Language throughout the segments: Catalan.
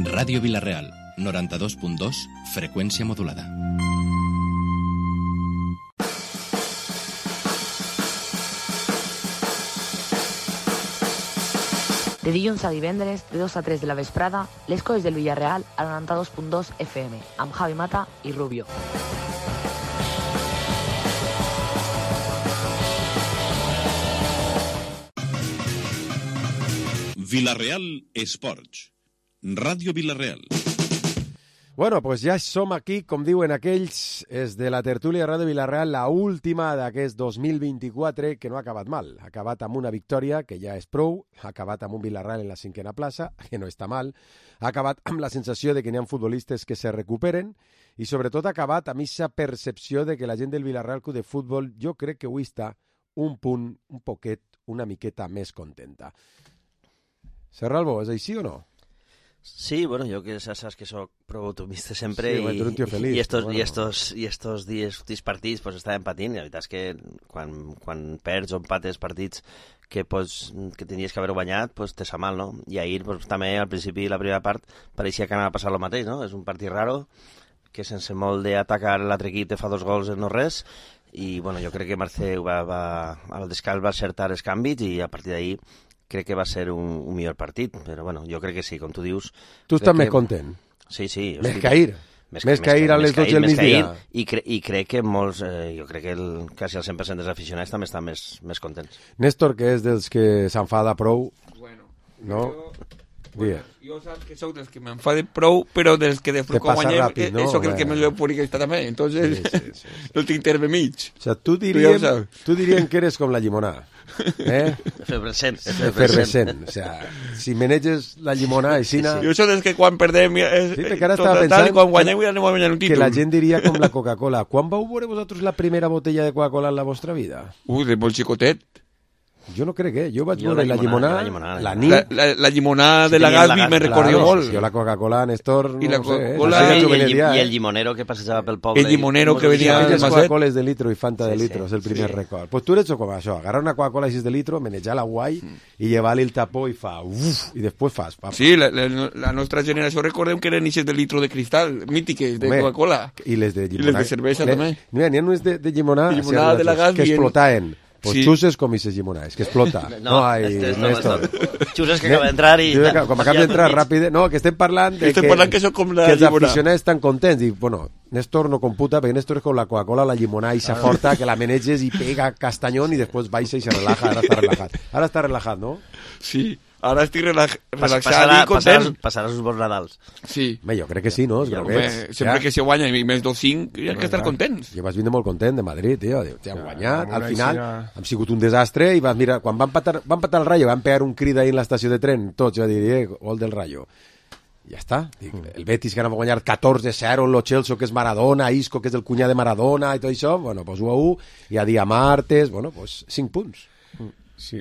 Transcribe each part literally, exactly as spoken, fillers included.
Ràdio Vila-real, noranta-dos punt dos, freqüència modulada. De dilluns a divendres, de dos a tres de la vesprada, les coses del Villarreal a noranta-dos punt dos F M, amb Javi Mata i Rubio. Vila-real Esports. Ràdio Vila-real. Bueno, pues ja som aquí, com diuen aquells, és de la tertúlia de Ràdio Vila-real, la última d'aquest dos mil vint-i-quatre, que no ha acabat mal. Ha acabat amb una victòria, que ja és prou, ha acabat amb un Vila-real en la cinquena plaça, que no està mal, ha acabat amb la sensació de que n'hi ha futbolistes que se recuperen, i sobretot ha acabat amb aquesta percepció de que la gent del Vila-real Club de Futbol, jo crec que avui està un punt, un poquet, una miqueta més contenta. Serralbo, és així o no? Sí, bueno, yo que sabes que soy pro optimista siempre sí, y, bueno, un tío feliz, y estos bueno. y estos y estos dies, últims partits pues estaven patint, i la veritat és que quan, quan perds o empates partits que, pues, que tenies que haver guanyat, pues te sa mal, no? I ahir pues, també al principi la primera part pareixia que anava a passar el mateix, no? És un partit raro que sense molt d'atacar l'altre equip te fa dos gols en no res, i bueno, jo crec que Marceu va, va, al descans va acertar els canvis i a partir d'ahir crec que va ser un, un millor partit, però bueno, jo crec que sí, com tu dius... Tu estàs que... més content? Sí, sí. Més que ahir? Més, més que ahir a les dotze del migdia? I, cre I crec que molts, eh, jo crec que el, quasi el cent per cent dels aficionats també estan més, més contents. Néstor, que és dels que s'enfada prou, bueno, no? Jo, bueno, jo saps que sóc dels que m'enfade prou, però dels que després quan guanyem, ràpid, no? Eso que el que me lo puri que està també, entonces sí, sí, sí, sí. No tinc terme mig. O sea, tu diríem, tu diríem que eres com la llimonada. ¿Eh? Efervescent, efervescent. O sea, si maneges la llimonada i sina... Sí, sí. Jo soc dels que quan perdem eh, sí, que ara tot estava tal, quan guanyem que, ja anem a guanyar un títol. Que la gent diria com la Coca-Cola. Quan vau veure vosaltres la primera botella de Coca-Cola en la vostra vida? Ui, de molt xicotet. Jo no crec, eh? Jo vaig jo veure la llimonada, la, llimonada, la nit... La, la, la llimonada de la Gasby me recordo molt. Jo la Coca-Cola, Néstor, no, I la no sé, eh? I, el, i el llimonero que passejava pel poble. El llimonero que venia del Macet. Coca-Coles de litro i Fanta sí, de litro, sí, és el primer sí. record. Pues tu eres com això, agarrar una Coca-Cola així de litro, manejar la guai mm. i llevar-li el tapó i fa uf, i després fas. Pa, pa. Sí, la, la, la nostra generació recordem que eren eixes de litro de cristal, mítiques, de Home, Coca-Cola. I les de llimonada. I les de cervesa le, també. N'hi ha unes de, de llimonada, de, llimonada de la Gasby que explotaven. Pues sí. xuses com aquestes llimonades, que explota. No, no hay, este es, no, Néstor. No. Xuses que acaba d'entrar i... Com acaba d'entrar ràpid... No, que estem parlant de estem que, parlant que, com la que els llimonada. aficionats estan contents. I, bueno, Néstor no computa, perquè Néstor és com la Coca-Cola, la llimonada i sa forta, que la meneges i pega castanyón i després baixa i se relaja. Ara està relaxat. Ara està relaxat, no? Sí. Ara estic relax, relaxat passarà, i content. Passaràs, passaràs uns bons Nadals. Sí. Bé, jo crec que sí, no? Ja, home, sempre ja. que se guanya i més dos cinc, hi ha que estar contents. Jo vas vindre molt content de Madrid, tio. Ja han guanyat. Al final hem sigut un desastre i vas mirar, quan van patar, van patar el Rayo, van pegar un crit ahir en l'estació de tren, tots, jo diria, eh, gol del Rayo. Ja està. Dic, el Betis que anava a guanyar catorze zero, lo Chelsea que és Maradona, Isco que és el cunyà de Maradona i tot això, bueno, pues u a u, i a dia martes, bueno, pues cinc punts. Sí,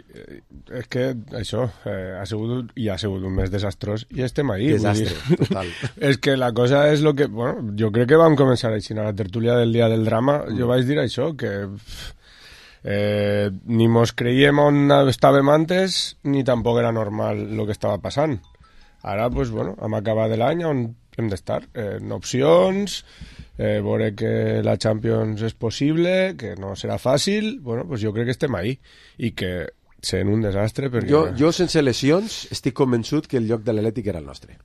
és que això eh, ha sigut, i ha sigut un mes desastrós i estem ahí. Desastre, total. És que la cosa és lo que... Bueno, jo crec que vam començar així a la tertúlia del dia del drama. Mm. Jo vaig dir això, que eh, ni mos creiem on estàvem antes ni tampoc era normal lo que estava passant. Ara, pues, bueno, hem acabat l'any on hem d'estar. Eh, en opcions... Eh, veure que la Champions és possible, que no serà fàcil, bueno, pues jo crec que estem ahí i que sent un desastre perquè... Jo, jo sense lesions estic convençut que el lloc de l'Atlètic era el nostre.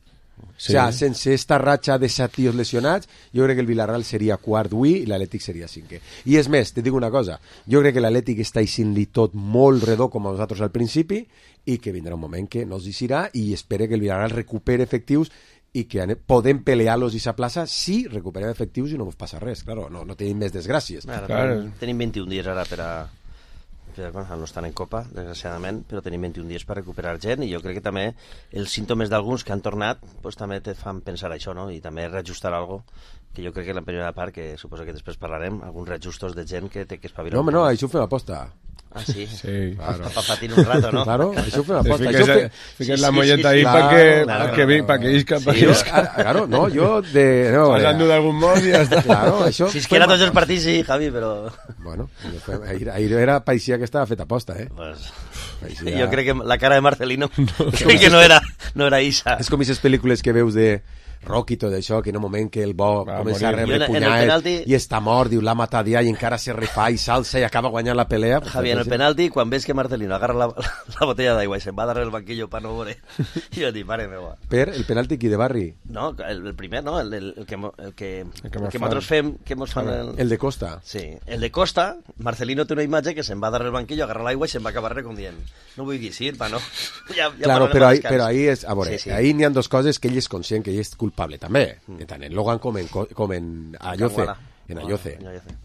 Sí. O sea, sense esta ratxa de set tios lesionats, jo crec que el Villarreal seria quart avui i l'Atlètic seria cinquè. I és més, te dic una cosa, jo crec que l'Atlètic està eixint-li tot molt redó com a nosaltres al principi i que vindrà un moment que no els eixirà i espere que el Villarreal recupere efectius i que podem pelear-los i sa plaça si recuperem efectius i no ens passa res, claro, no, no tenim més desgràcies. Ara, claro. Tenim vint i un dies ara per a... Per, bueno, no estan en Copa, desgraciadament, però tenim vint i un dies per recuperar gent i jo crec que també els símptomes d'alguns que han tornat pues, també te fan pensar això, no? I també reajustar algo que jo crec que en la primera part, que suposo que després parlarem, alguns reajustos de gent que té que espavilar. No, home, no, això ho fem aposta. Ah, sí? Sí, claro. Para patir un rato, ¿no? Claro, eso fue una aposta. Fiques, fe... fiques sí, la molleta sí, sí, ahí para que, claro, pa que, claro, pa que isca, pa sí, que isca. Claro, no, yo de... No, pasando de algún modo y ya está. Claro, això... Si es que era tots els partits, sí, Javi, però... Bueno, ahir, ahir era, parecía que estava fet aposta, eh? Pues... Parecía... Jo crec que la cara de Marcelino no, crec que no era, no era Isa. És com aquestes pel·lícules que veus de Rocky i tot això, que en un moment que el bo va comença a rebre punyades penalti... i està mort, diu, l'ha matat ja, i encara se refà i salsa i acaba guanyant la pelea. Javi, en el penalti, quan ves que Marcelino agarra la, la, la botella d'aigua i se'n va darrere el banquillo pa no veure, jo dic, mare meva. Per el penalti qui de Barri? No, el, el primer, no, el, el, el que, el que, el que, el que nosaltres fem, que mos fan el... el de Costa. Sí, el de Costa, Marcelino té una imatge que se'n va darrere el banquillo, agarra l'aigua i se'n va acabar com dient, no vull dir sí, pa no. Ja, ja claro, però ahí, però ahí és, a veure, sí, sí. ahí n'hi ha dos coses que ell és conscient que ell és culpable també. Tant en Logan com en, com en Ayoce, en Ayoce,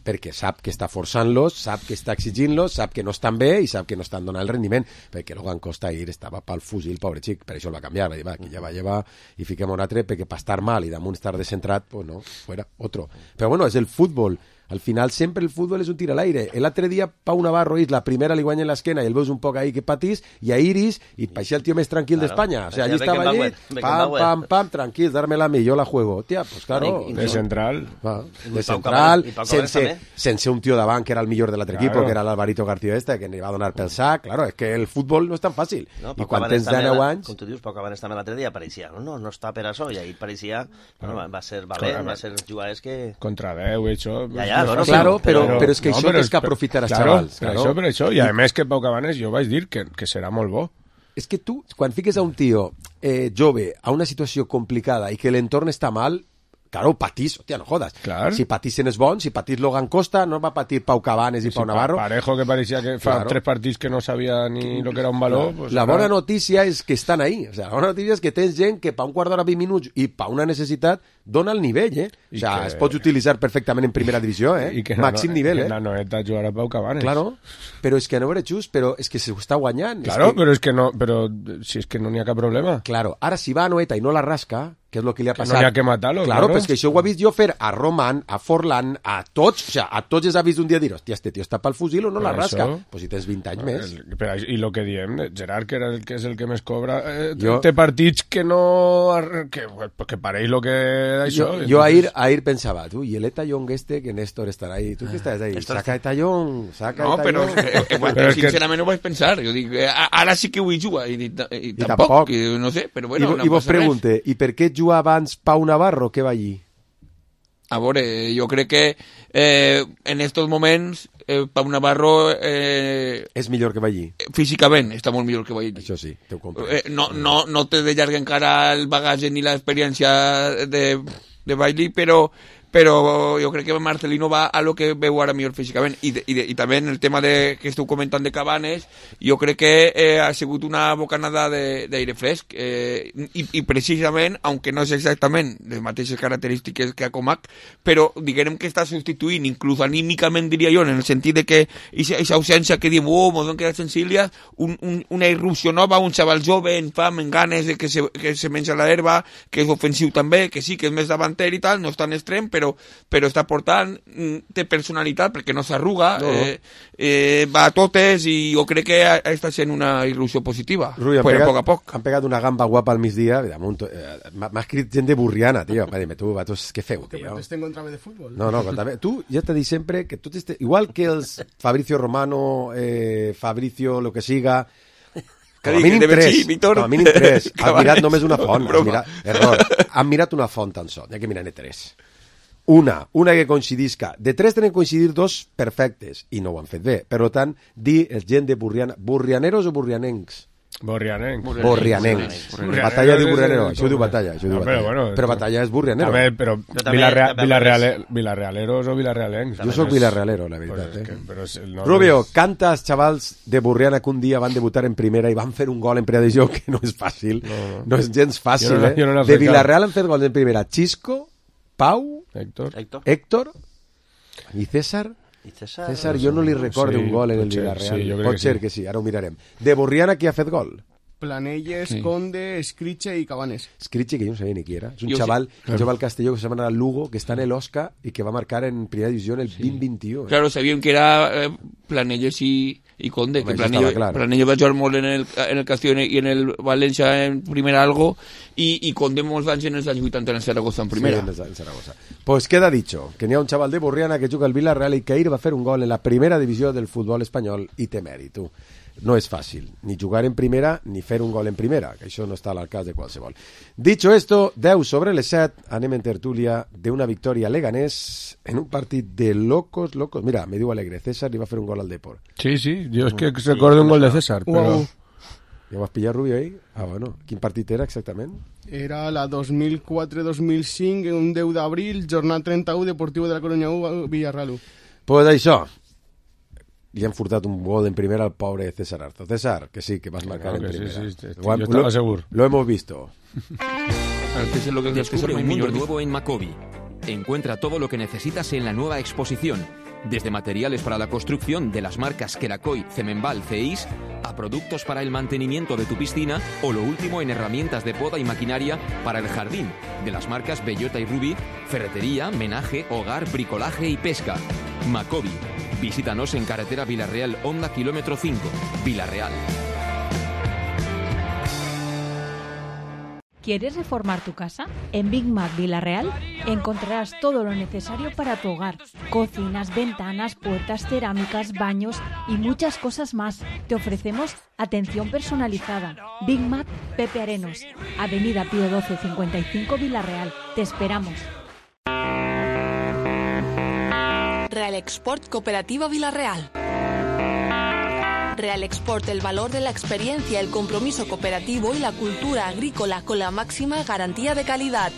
perquè sap que està forçant-los, sap que està exigint-los, sap que no estan bé i sap que no estan donant el rendiment, perquè Logan Costa ahir estava pel fusil, pobre xic, per això el va canviar, va dir, va, que ja va llevar i fiquem un altre, perquè per estar mal i damunt estar descentrat, pues no, fuera, otro. Però bueno, és el futbol. Al final sempre el futbol és un tir a l'aire. L'altre dia Pau Navarro és la primera li guanya en l'esquena i el veus un poc ahí que patís i a Iris i paixia el tio més tranquil claro. d'Espanya. O sea, allí estava allí, pam, pam, pam, tranquil, dármela a mi, yo la juego. Tia, pues claro. De central. Va, de central, sense, sense un tio davant que era el millor de l'altre claro. equip, que era l'Alvarito García este, que li va donar pel sac. Claro, és que el futbol no és tan fàcil. No, I quan tens deu anys... Com tu dius, Pau Cabanes també l'altre dia pareixia, no, no, no està per això, i ahir pareixia, bueno, va ser valent, va ser jugadors que... Contra deu, això... Ja, ja, no, claro, però Però, però és que no, això tens que aprofitar els claro, xavals. Claro. Això, per això, i a més que Pau Cabanes jo vaig dir que, que serà molt bo. És que tu, quan fiques a un tio eh, jove a una situació complicada i que l'entorn està mal, claro, patís, hòstia, no jodas. Clar. Si patissin és bon, si patís Logan Costa, no va patir Pau Cabanes i si Pau Navarro. Parejo, que pareixia que fa claro. tres partits que no sabia ni lo que era un valor. Claro. Pues, la clar. bona notícia és que estan ahí. O sea, la bona notícia és que tens gent que pa un quart d'hora, vint minuts i pa una necessitat dona el nivell, eh? O sea, que... es pot utilitzar perfectament en primera divisió, eh? I que màxim no, nivell, que eh? la Noeta jugarà Pau Cabanes. Claro, però és que no veure just, però és que s'ho està guanyant. Claro, és que... però és que no, però si és que no n'hi ha cap problema. Claro, ara si va a Noeta i no la rasca, que és el que li ha passat... Que no n'hi ha que matar-lo, claro. Claro, però és que això ho ha vist jo fer a Roman, a Forlan, a tots, o sea, a tots els ha vist un dia dir, hòstia, este tio està pel fusil o no la rasca. Això... Pues si tens vint anys més. Però, I el que diem, Gerard, que, era el, que és el que més cobra, eh, jo... té partits que no... que, que pareix lo que... Això. Jo, jo ahir, ahir pensava, tu, i el Etallón este, que Néstor estarà ahí, tu què estàs ahí? Saca Etallón, saca no, Etallón... No, però, eh, bueno, però sincerament que... no ho vaig pensar, jo dic, eh, ara sí que vull jugar, i, i, i, I tampoc, tampoc. I, no sé, però bueno... I, no i vos pregunte, res. I per què jugar abans Pau Navarro, que va allí? A veure, jo crec que eh, en estos moments eh, Pau Navarro... Eh, és millor que va allí. Físicament està molt millor que va allí. Això sí, t'ho compro. Eh, no, no, no té de llarg encara el bagatge ni l'experiència de, de Bailey, però... però jo crec que Marcelino va a lo que veu ara millor físicament i, de, i, de, i també en el tema de, que esteu comentant de Cabanes, jo crec que eh, ha sigut una bocanada d'aire fresc eh, i, i precisament, aunque no és exactament les mateixes característiques que a Comac, però diguem que està substituint inclús anímicament, diria jo, en el sentit de que aquesta ausència que diem, oh, m'ho queda senzilla, un, un, una irrupció nova, un xaval jove en fam, en ganes de que se, que se menja la herba, que és ofensiu també, que sí, que és més davanter i tal, no és tan extrem, però però està portant, té personalitat perquè no s'arruga, no, no. Eh, eh, va a totes i jo crec que està sent una irrupció positiva. Rui, però a poc a poc. Han pegat una gamba guapa al migdia, eh, m'ha escrit gent de Burriana, tio, va dir-me, tu, vatos, què feu, tio? Que protesten contra de futbol. No, no, contra tu ja t'he dit sempre que tu t'este... igual que els Fabricio Romano, eh, Fabricio, lo que siga, com a mínim tres, com a mínim tres, han mirat només una font, han mirat, error, han mirat una font tan sol, n'hi ha que mirar-ne tres. Una, una que coincidisca. De tres tenen que coincidir dos perfectes, i no ho han fet bé. Per tant, dir el gent de Burriana... Burrianeros o burrianencs? Borrianencs. Borrianencs. Batalla de Burrianero. Això ho diu Batalla. Això ho diu Batalla. No, però, bueno, però Batalla és Burrianero. També, però Villarreal, Villarreal, Villarrealeros o Villarrealencs. Jo soc Villarrealero, la veritat. Pues eh? que, però és, no, Rubio, és... canta als xavals de Burriana que un dia van debutar en primera i van fer un gol en primera divisió, que no és fàcil. No, no. no és gens fàcil, no, eh? No de Villarreal han fet gols en primera. Xisco, Pau, Héctor, Héctor, Héctor i César. I César, César, jo no li recordo sí, un gol en el Villarreal. Sí, pot ser que sí. que sí, ara ho mirarem. De Burriana, qui ha fet gol? Planelles, sí. Conde, Escriche i Cabanes. Escriche, que jo no sabia ni qui era. És un jo xaval, sí. un xaval castelló que se llama Lugo, que està en l'Osca i que va marcar en primera divisió en el sí. vint vint-i-u. Eh? Claro, sabíem que era eh, Planelles i, i Conde, Home, que Planelles, clar. Planelles va jugar molt en el, en el Castillo i en el València en primera algo, i, i Conde molts anys en els anys vuitanta en el Zaragoza en primera. Sí, en el Zaragoza. Pues queda dicho, que n'hi ha un xaval de Burriana que juga al Villarreal i que ahir va fer un gol en la primera divisió del futbol espanyol i té mèrit, tu. no és fàcil, ni jugar en primera ni fer un gol en primera, que això no està a l'alcàs de qualsevol. Dicho esto, deu sobre les set, anem en tertúlia d'una victòria leganés en un partit de locos, locos. Mira, me diu Alegre, César li va fer un gol al Depor. Sí, sí, jo és que recordo un gol de César, però... Wow. Ja vas pillar, Rubio, ahí? Ah, bueno. Quin partit era exactament? Era la dos mil quatre dos mil cinc, un deu d'abril, jornada trenta-u, Deportivo de la Coruña u, Villarreal u. Pues això, li han furtat un gol en primera al pobre César Arzo. César, que sí, que vas marcar Claro en que primera. sí, sí, sí, Lo, yo estaba lo, seguro. Lo hemos visto. Antes es lo que decía César, Descubre un muy mundo Jordi. nuevo en Macobi. Encuentra todo lo que necesitas en la nueva exposición, desde materiales para la construcción de las marcas Kerakoy, Cemenbal, Ceis, a productos para el mantenimiento de tu piscina o lo último en herramientas de poda y maquinaria para el jardín, de las marcas Bellota y Ruby, ferretería, menaje, hogar, bricolaje y pesca. Macobi. Visítanos en carretera Villarreal, Honda kilómetro cinco, Villarreal. ¿Quieres reformar tu casa? En Big Mac Villarreal encontrarás todo lo necesario para tu hogar. Cocinas, ventanas, puertas, cerámicas, baños y muchas cosas más. Te ofrecemos atención personalizada. Big Mac Pepe Arenos, Avenida Pío doce cincuenta y cinco Villarreal. Te esperamos. Real Export Cooperativa Villarreal. Real Export, el valor de la experiencia, el compromiso cooperativo y la cultura agrícola con la máxima garantía de calidad.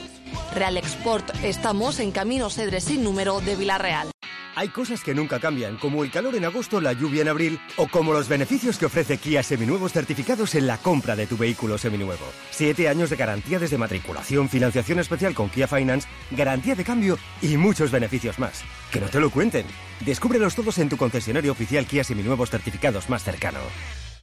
Real Export, estamos en Camino Cedres sin número de Villarreal. Hay cosas que nunca cambian, como el calor en agosto, la lluvia en abril, o como los beneficios que ofrece Kia Seminuevos certificados en la compra de tu vehículo seminuevo. Siete años de garantía desde matriculación, financiación especial con Kia Finance, garantía de cambio y muchos beneficios más. Que no te lo cuenten. Descúbrelos todos en tu concesionario oficial Kia Seminuevos certificados más cercano.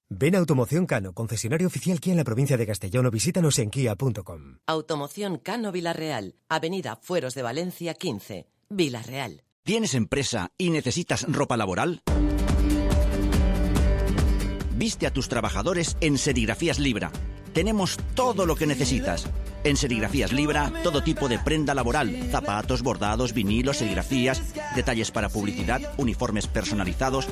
Ven a Automoción Cano, concesionario oficial Kia en la provincia de Castellón, o visítanos en kia punto com. Automoción Cano Villarreal, Avenida Fueros de Valencia quince, Villarreal. ¿Tienes empresa y necesitas ropa laboral? Viste a tus trabajadores en Serigrafías Libra. Tenemos todo lo que necesitas. En Serigrafías Libra, todo tipo de prenda laboral, zapatos, bordados, vinilos, serigrafías, detalles para publicidad, uniformes personalizados.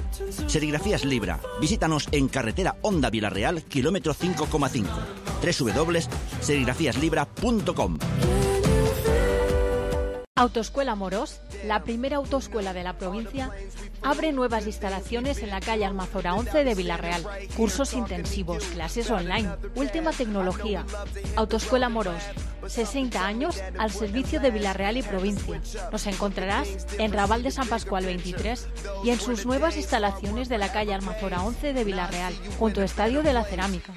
Serigrafías Libra. Visítanos en carretera Honda Villarreal, kilómetro cinco coma cinco. doble u doble u doble u punto serigrafías libra punto com. Autoescuela Morós, la primera autoescuela de la provincia, abre nuevas instalaciones en la calle Almazora once de Villarreal. Cursos intensivos, clases online, última tecnología. Autoescuela Morós, sesenta años al servicio de Villarreal y provincia. Nos encontrarás en Raval de San Pascual veintitrés y en sus nuevas instalaciones de la calle Almazora once de Villarreal, junto al Estadio de la Cerámica.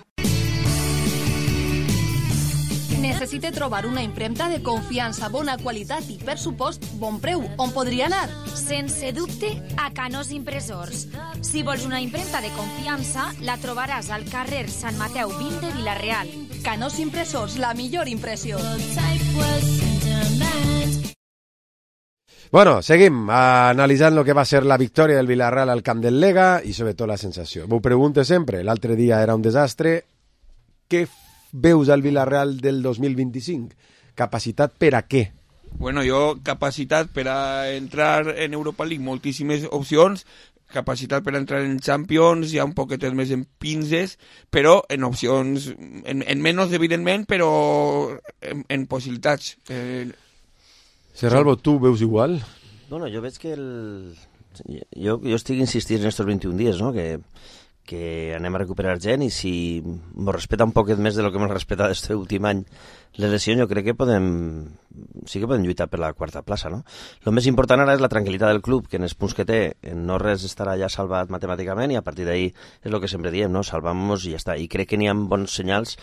Necessite trobar una impremta de confiança, bona qualitat i, per supost, bon preu. On podria anar? Sense dubte, a Canós Impressors. Si vols una impremta de confiança, la trobaràs al carrer Sant Mateu vint de Villarreal. Canós Impressors, la millor impressió. Bueno, seguim analitzant el que va ser la victòria del Villarreal al camp del Lega i sobretot la sensació. M'ho pregunto sempre, l'altre dia era un desastre. Què veus al Villarreal del dos mil vint-i-cinc? Capacitat per a què? Bueno, jo, capacitat per a entrar en Europa League, moltíssimes opcions, capacitat per a entrar en Champions, ja un poquet més en pinces, però en opcions, en, en menys, evidentment, però en, en possibilitats. Eh... Serralvo, tu veus igual? Bueno, jo veig que el... Jo, jo estic insistint en estos vint-i-un dies, no?, que... que anem a recuperar gent i si ens respeta un poquet més de lo que ens respeta aquest últim any les lesions, jo crec que podem sí que podem lluitar per la quarta plaça, no? El més important ara és la tranquil·litat del club, que en els punts que té no res estarà ja salvat matemàticament i a partir d'ahí és el que sempre diem, no? Salvamos i ja està. I crec que n'hi ha bons senyals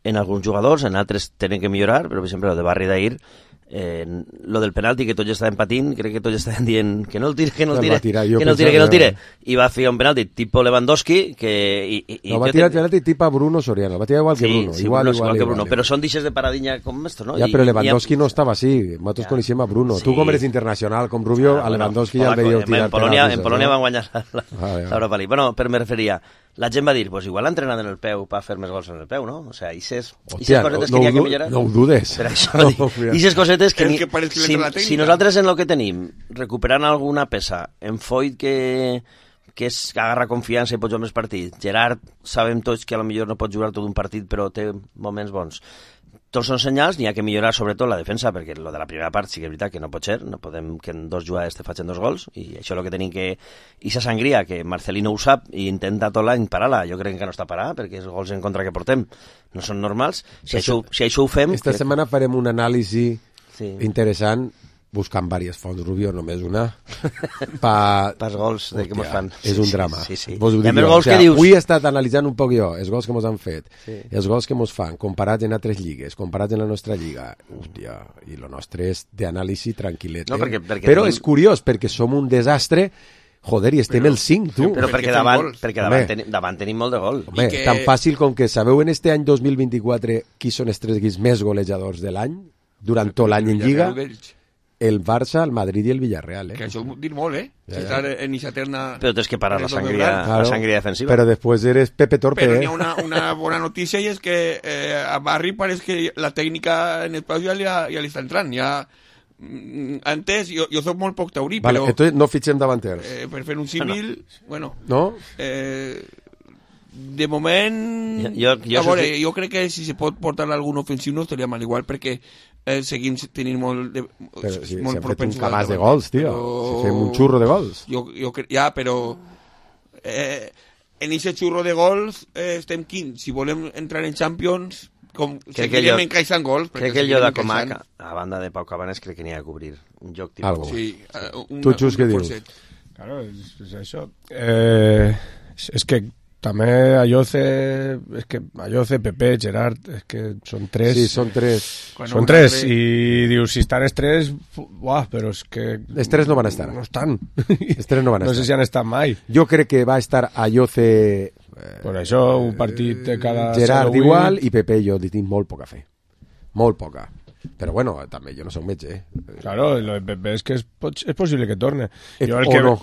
en alguns jugadors, en altres tenen que millorar, però per exemple el de Barri d'ahir, eh, lo del penalti que tots estaven patint, crec que tots estaven dient que no el tire, que no el tire, que no el tire, que no el tire, i va fer un penalti tipo Lewandowski que... I, i, no, va tirar el penalti tipo Bruno Soriano, va tirar igual que Bruno, sí, igual, Bruno, igual, igual que igual, Bruno, igual, però són deixes de paradigma com esto, no? Ja, però Lewandowski ha... no estava així, nosaltres ja. Coneixem a Bruno, sí. Tu com eres internacional, com Rubio, ah, a Lewandowski bueno, ja el veieu tirar en Polònia, penaltis. En Polònia no? van guanyar l'Europa League. Bueno, però me referia, la gent va dir, pues igual ha entrenat en el peu per fer més gols en el peu, no? O sea, ixes cosetes que n'hi ha que millorar. No ho dudes. Per això, ixes cosetes que... Si, si nosaltres en el que tenim, recuperant alguna peça en Foyt que, que és que agarra confiança i pot jugar més partits. Gerard, sabem tots que a lo millor no pot jugar tot un partit, però té moments bons. Tots són senyals, n'hi ha que millorar sobretot la defensa, perquè lo de la primera part sí que és veritat que no pot ser, no podem que en dos jugades te facin dos gols, i això és el que tenim que... I sa sangria, que Marcelino ho sap i intenta tot l'any parar-la, jo crec que no està parar, perquè els gols en contra que portem no són normals. Si, això, si això ho fem... Esta que... setmana farem un anàlisi sí. interessant, buscant diverses fonts, Rubio, només una, pa... pels gols de que mos fan. És un drama. Sí, sí, sí. Vos ho dic jo. O sea, dius... Avui he estat analitzant un poc jo els gols que mos han fet, sí. els gols que mos fan, comparats en altres lligues, comparats en la nostra lliga. Hòstia, i lo nostre és d'anàlisi tranquil·let. No, perquè, perquè però tenim... és curiós, perquè som un desastre. Joder, i estem però, el cinc, tu. Però perquè davant, perquè davant, ten, davant tenim molt de gol. Home, que... tan fàcil com que sabeu en este any dos mil vint-i-quatre qui són els tres equips més golejadors de l'any, durant tot l'any en Lliga? El Barça, el Madrid i el Villarreal, eh? Que això ho dir molt, eh? Si estar en esa eterna... Però tens que parar la sangria, claro, la sangria defensiva. Però després eres Pepe Torpe, Però eh? hi ha una, una bona notícia i és que eh, a Barri pareix que la tècnica en espais ja, ja, ja li està entrant. Ja, antes, jo, jo soc molt poc taurí, vale, però... Entonces no fitxem davanters. Eh, per fer un símil, no. bueno... No? Eh, de moment jo, jo, a veure, que... jo crec que si se pot portar algun ofensiu no estaria mal igual perquè eh, seguim tenint molt de, però si molt s'ha fet un cabàs de gols, tio, però... si fem un xurro de gols jo, jo cre... ja, però eh, en aquest xurro de gols eh, estem quins, si volem entrar en Champions com seguirem encaixant gols crec que el Lloda Comac a banda de Pau Cabanes crec que n'hi ha a cobrir un joc tipus sí, una, tu Xus què dius? Claro, és, és això eh, és, és que també Ayoce, és que Ayoce, Pepe, Gerard, és que són tres. Sí, són tres. Quan són tres, i dius, si estan els tres, uah, però és que... Els tres no van estar. No estan. Els tres no van estar. No sé si han estat mai. Jo crec que va estar Ayoce... Eh, per això, un partit de cada... Gerard igual, i Pepe jo tinc molt poca fe. Molt poca. Però bueno, també jo no soc metge, eh? Claro, lo de Pepe és que és, és possible que torne. Eh, jo el o que... no.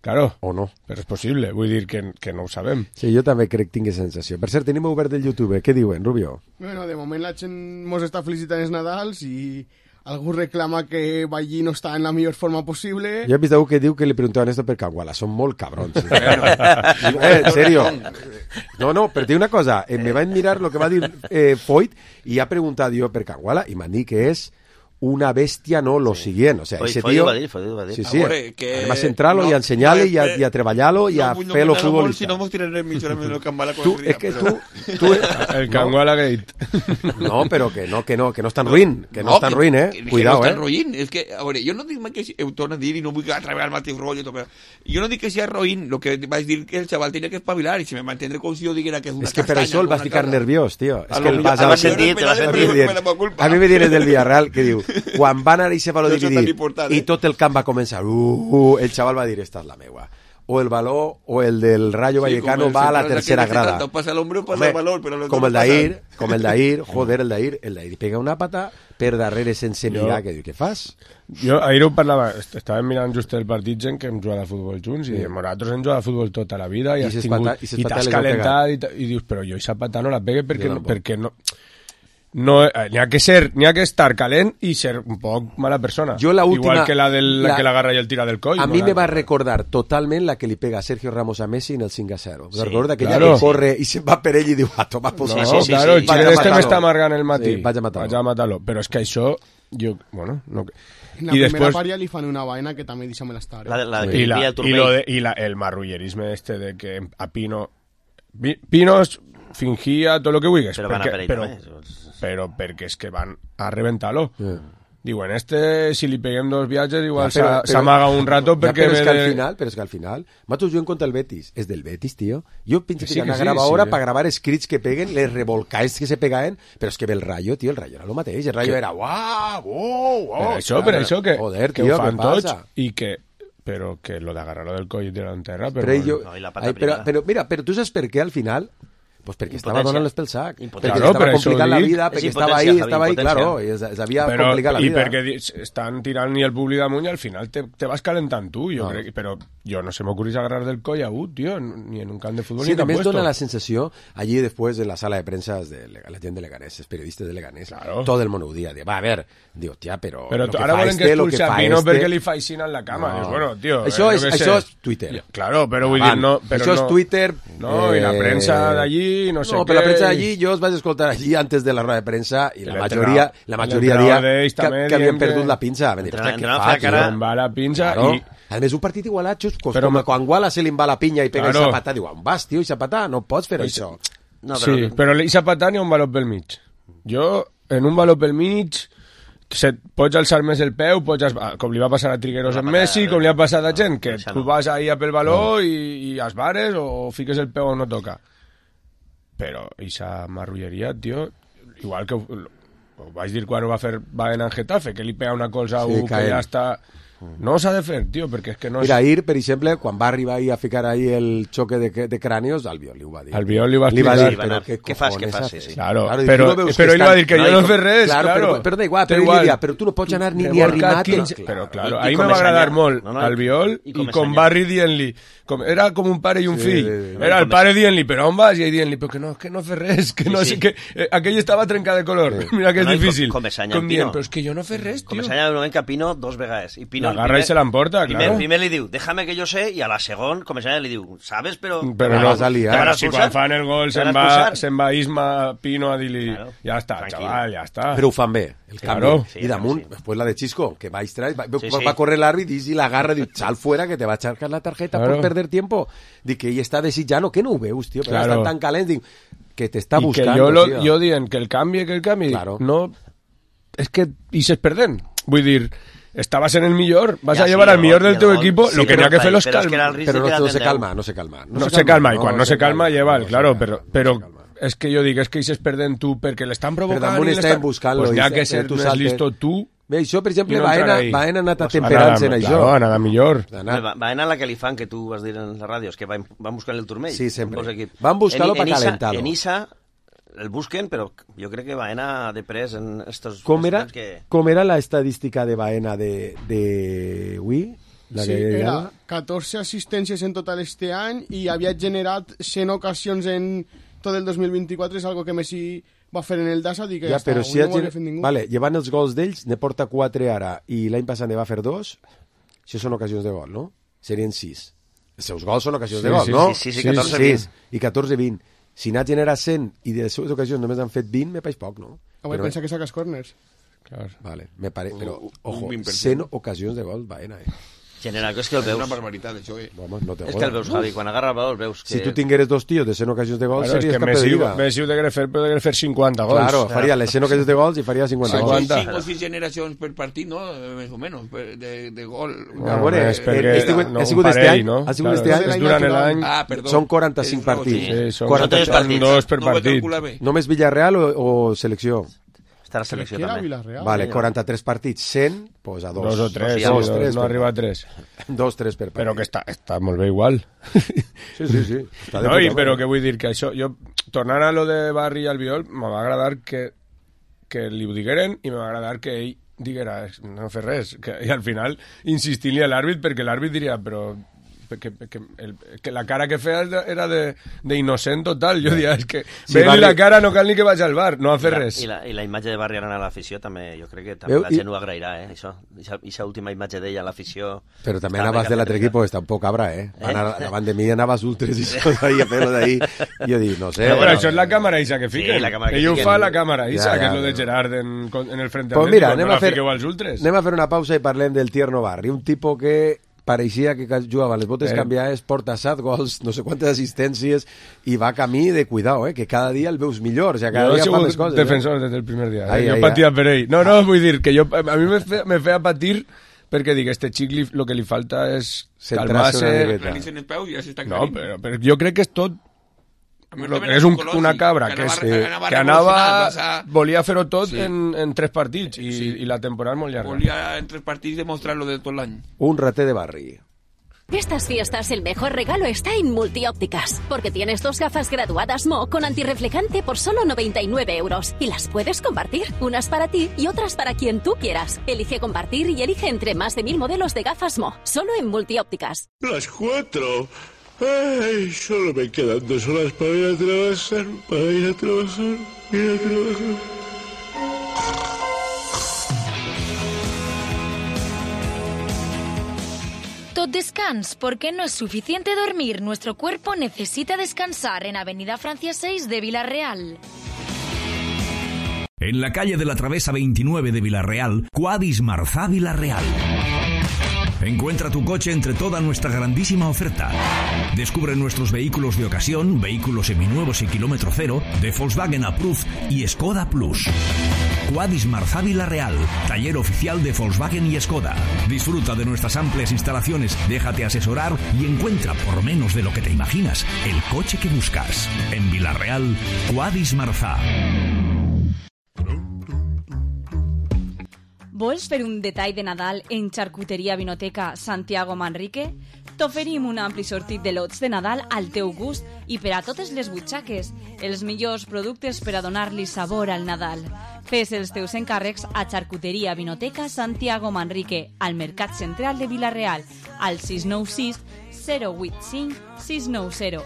Claro, o no. Però és possible, vull dir que, que no ho sabem. Sí, jo també crec que tinc sensació. Per cert, tenim obert el YouTube, què diuen, Rubio? Bueno, de moment la gent mos està felicitant els Nadals i algú reclama que Ballí no està en la millor forma possible. Jo he vist algú que diu que li preguntaven esto per Canguala, són molt cabrons. eh, en serio. No, no, però diu una cosa, eh, me vaig mirar lo que va dir eh, Foyt i ha preguntat jo per Canguala i m'han dit que és una bestia, no, lo sí. siguiente. O sea, Foi, ese foi tío... Va dir, foi, va dir. Sí, sí. Veure, que... Además, centrarlo no, y a enseñarle no, y, a, y a treballarlo y no, a no, fer lo no, futbolista. Si no hemos tirado en el en el Canguala tú, día, es que pero... tú... tú el Canguala no. Gate. No, pero que no, que no, que no es tan ruin, que no, no es tan ruin, eh? Que, que Cuidado, no eh? És tan ruin. És que, a veure, jo no dic mai que... Ho torno a dir i no vull atraure el mateix rotllo, però jo no dic que sigui ruin, lo que vaig dir que el xaval tenia que espavilar i si me mantendré com si jo diguera que és una es que castanya. Per això el vas ficar cosa. nerviós, tío. Es a que el vas a... sentit, a, sentit. a mi me tienes del Villarreal que diu, quan van anar i se va lo dividir important, i eh? tot el camp va començar, uh, uh, el xaval va dir, esta és la meua. O el baló o el del Rayo sí, Vallecano va a la tercera grada. Pasa el hombro, pasa el valor, pero com el d'ahir, com el d'ahir, joder, el d'ahir, el d'ahir pega una pata per darrere sense mirar, que diu, què fas? Jo ahir ho parlava, estàvem mirant just el partit gent que hem jugat a futbol junts i sí. nosaltres hem jugat a futbol tota la vida i, I, has tingut, pata, i, i t'has calentat i, i dius, però jo aquesta pata no la pegue perquè no, perquè no no, n'hi ha que ser, n'hi ha que estar calent i ser un poc mala persona. Jo la última, igual que la, del, la, la que l'agarra i el tira del coll. A mi no, me la... va recordar totalment la que li pega a Sergio Ramos a Messi en el cinc a zero. Sí, recorda que claro. ja que corre i se'n va per ell i diu, ah, toma, pues no, sí, sí, claro, sí, sí, el xile este m'està amargant el matí. Sí, vaig a matar-lo. Vaig a matar-lo. Però és que això, jo, bueno, no... En la I primera després... part ja li fan una vaina que també deixa'm l'estar. Eh? La, la I, la, i, lo de, i la, el marrullerisme este de que a Pino... Pino fingia tot el que vulguis. Però van a per ell però, també. Però perquè és que van a reventar-lo. Yeah. Diuen, este, si li peguem dos viatges, igual ja, s'amaga un rato perquè... Ja, però, és que al de... final, però és que al final, matos jo en contra el Betis. És del Betis, tío. Jo penso que, sí, que, que sí, grava sí, ahora sí. para gravar scrits que peguen, les revolcaes que se pegaven, però és que ve el Rayo, tío, el Rayo era lo mateix. El Rayo que... era, uau, uau, uau. Per això, per això que, Joder, que tío, ho fan tots pasa? i que... Però que lo d'agarrar-lo del coll i tirar en terra... Però, però, jo, no, i la pata ai, però, però, mira, però tu saps per què al final... Pues perquè estava donant-les pel sac. Perquè Claro, estava per això complicant la dic. vida, perquè estava ahí, estava ahí, claro, i s'havia Però, complicat la I vida. perquè di- estan tirant ni el públic amunt i al final te, te vas calentant tu, jo No. crec, però jo no se m'ocurrís agarrar del coll a un, tío, ni en un camp de fútbol Sí, ni también puesto. dona la sensación, allí después de la sala de prensa de Lega- la gente de Leganés, los periodistas de Leganés, Claro. todo el mundo dia, de, va, a ver, digo, tía, però... Però lo tu, que ara fa volen este, que lo que expulsi a fa Pino este... perquè li faixin en la cama. No. Dius, bueno, tio... Això, eh, és, jo què això sé. és Twitter. Claro, però vull Van, dir, no... Però això no, és Twitter... No, i la eh, premsa d'allí, no sé no, què... però la premsa d'allí, jo els vaig escoltar allí antes de la roda de premsa i la El majoria, entrenador- la el majoria entrenador dia d'ells que, també que havien dient que- perdut la pinça. Van dir, Entrenador- "Hòstia, què entrenador fa, feia cara- tio?" Em va la pinça Claro. i... A més, un partit igualat, just, pues, Però com ma- quan Guala se li va la pinya i pega Claro. i Zapatà, diu, on vas, tio, i Zapatà, no pots fer Pues- això. No, Sí, però... però i Zapatà n'hi ha un valor pel mig. Jo, en un valor pel mig, se, pots alçar més el peu, pots, es- com li va passar a Trigueros amb Messi, com li ha passat a gent, que tu vas ahí a pel valor i, i esbares o fiques el peu on no toca. Però aquesta marrulleria, tio, igual que ho, ho vaig dir quan ho va fer Baena en Getafe, que li pega una cosa a Sí, un que caent. ja està... No s'ha de fer, tio, perquè és que no és... Mira, ahir, per exemple, quan va arribar ahí a ficar ahí el xoque de, de crànios, Albiol li ho va dir. Albiol li va li va explicar. dir, però què Què fas, cojones què fas, haces? sí, sí. Claro, Claro, i però, tu no veus però que ell va estan- dir que no, jo i no com- fer res, Claro, claro. però, però da igual, Da però ell igual. li dia, però tu no pots anar ni, ni Revolcat arrimat. quinze, Clar. però claro, I- i ahí com me va és agradar allà. molt No, no, Albiol i i com és con allà. Barry dient-li com, era com un pare i un Sí, fill sí, sí. era el pare dient-li però on vas? I ell dient-li però que no, que no fer res que Sí, no sí. sé que eh, aquell estava trencat de color mira que és No, i com- difícil com és allà com en dient, Pino. però és que jo no fer res, Com tio s'ha un moment que a Pino dos vegades. I Pino l'agarra i se l'emporta, primer, claro. primer li diu, déjame que yo sé, i a la segon, com s'ha li diu, sabes, però... però la no, vas a liar. Te van a si expulsar? quan fan el gol Te van se'n a va, expulsar? se'n va Isma Pino a dir-li Claro. ja està, Tranquil. xaval, ja està Però ho fan bé, el Claro. canvi. Sí, I damunt, sí. después la de Chisco, que va a extraer, va, Sí, va, sí. va a correr l'àrbit i la agarra i diu, sal fuera que te va a echar la tarjeta Claro. por perder tiempo. Dic que ell està desitjant, que no ho veus, tio, però Claro. estan tan calents, dic, que t'està i buscant. que jo, lo, tio. jo dient que el canvi, que el canvi, Claro. no... És que i s'es perdent. Vull dir, estaves en el millor, vas Ja, a sí, llevar el al millor gol, del el teu gol. equipo, Sí, lo que però n'hi ha que fer los però és que calma. era el risc Però de no, que no se la calma, no se calma. No, se calma, i quan no se calma, no lleva, se claro, calma, però, no però se calma. és que jo dic, és que s'es perdent tu perquè l'estan provocant damunt i estem l'estan... buscant-lo Pues i n'hi ha se- que ser tu més saltes. listo tu. Bé, això, per exemple, I no Baena, entrar ahí. Baena ha anat Pues atemperant-se en anar- això. Claro, anar millor. Ha anat- Va, va anar la que li fan, que tu vas dir en la ràdio, és que van, van buscar el turmell. Sí, sempre. Dos equips. Van buscar-lo En- en pa Isa- calentar-lo. En Isa el busquen, però jo crec que va anar de pres en estos... Com era, estos que... com era la estadística de Baena de, de Wii? La Sí, que era era... catorze assistències en total este any i havia generat cent ocasions en tot el dos mil vint-i-quatre, és algo que Messi va fer en el Dasa, dic que Ja, ja, està, però avui si no ha ho havia gener... fet ningú. Vale, llevant els gols d'ells, ne porta quatre ara, i l'any passat ne va fer dos, això són ocasions de gol, no? Serien sis. Els seus gols són ocasions Sí, de gol, sí, no? sí, sí, sí, catorze, vint. sis, i catorze vint. Si n'ha generat cent i de les seves ocasions només han fet vint, me pareix poc, no? Avui Però- pensa que saques corners. Claro. Vale, me pare... però, Un ojo, vint per cent. cent ocasions de gol, Baena, eh? General, que és que el És una veus. barbaritat, això, eh? Home, no te És que el veus, Javi, quan agarra el valor veus que... Si tu tingueres dos tios de cent ocasions de gol, Claro, és series que campió de Messi, Liga. Messi ho degué fer, però degué fer cinquanta gols. Claro, faria les cent ocasions de gols i faria cinquanta gols. cinquanta. cinc o sis generacions per partit, no? Més o menys, per- de, de gol. A veure, és perquè eh, ha sigut- no, ha un sigut este parell, any? no? Ha sigut Claro, este any? és durant l'any... Ah, perdó. Són quaranta-cinc Tens raó, partits. sí. Sí, són quaranta tres partits. dos per No ho he partit. calculat bé. Només Villarreal o, o selecció? Està la selecció Que era també. Villarreal. Vale, quaranta-tres partits, cent, pues a dos. Dos o tres, sí, dos, dos, dos, tres no per arriba a partit. tres. Dos, tres per partit. Però que està, està molt bé igual. Sí, sí, sí. Està de No, i, puta però mare. que vull dir que això, jo, tornant a lo de Barry i Albiol, me va agradar que, que li ho digueren i me va agradar que ell diguera, no fer res, que, i al final insistir-li a l'àrbit perquè l'àrbit diria, però que, que, el, que la cara que feia era de, de innocent total, jo diria, és que Sí, sí, Barry- la cara no cal ni que vagi al bar, no a fer I la, res. I la, I la imatge de Barri anant a l'afició també, jo crec que també Veu, la i- gent ho agrairà, eh, això. Ixa última imatge d'ella a l'afició... Però també Està anaves bé de l'altre que- equip, pues tampoc cabra, eh? Eh? Anar, davant de mi anaves ultres i tot ahí, a fer-lo d'ahí. I jo dic, no sé. Però bueno, això és la càmera Isa que Sí, fiquen. la càmera que Ell ho fiquen. fa la càmera Isa, Ja, que ja, és lo de però- Gerard en, en el frente Pues mira, Atlético, anem no a, la fer, fiqueu als ultres. anem a fer una pausa i parlem del Tierno Barri, un tipus que pareixia que jugava les botes Eh. canviades, porta set gols, no sé quantes assistències, i va camí de cuidado, eh? Que cada dia el veus millor, o sigui, cada Jo he dia fa sigut més coses. defensor eh? des del primer dia. Ai, Eh? Jo ai, patia ai. per ell. No, no, vull dir que jo, a mi me feia, me feia patir perquè dic, este xic li, lo que li falta és Centrar-se una calmar-se. miqueta. Realicen els peus i ja s'està No, aclarint. però, però jo crec que és tot A mi lo també que és un, psicològic, una cabra, que que, és, anava- anava que anava, revolucionant, o sea, volia fer-ho tot Sí. en, en tres partits i, Sí. i la temporada és molt llarga. Volia en tres partits demostrar-lo de tot l'any. Un rater de Barri. Estas fiestas el mejor regalo está en Multiópticas, porque tienes dos gafas graduadas M O con antirreflejante por solo noventa y nueve euros y las puedes compartir, unas para ti y otras para quien tú quieras. Elige compartir y elige entre más de mil modelos de gafas M O, solo en Multiópticas. Las cuatro. Ay, solo me quedan dos horas para ir a trabajar, para ir a trabajar, ir a trabajar. Tot descans, porque no es suficiente dormir. Nuestro cuerpo necesita descansar en Avenida Francia seis de Villarreal. En la calle de la Travesa veintinueve de Villarreal, Quadis Marzá Villarreal. Encuentra tu coche entre toda nuestra grandísima oferta. Descubre nuestros vehículos de ocasión, vehículos seminuevos y kilómetro cero, de Volkswagen Approved y Skoda Plus. Quadis Marzá Villarreal, taller oficial de Volkswagen y Skoda. Disfruta de nuestras amplias instalaciones, déjate asesorar y encuentra, por menos de lo que te imaginas, el coche que buscas. En Villarreal, Quadis Marzá. Vols fer un detall de Nadal en Charcuteria Vinoteca Santiago Manrique? T'oferim un ampli sortit de lots de Nadal al teu gust i per a totes les butxaques, els millors productes per a donar-li sabor al Nadal. Fes els teus encàrrecs a Charcuteria Vinoteca Santiago Manrique, al Mercat Central de Villarreal, al sis nou sis, zero vuit cinc, sis nou zero.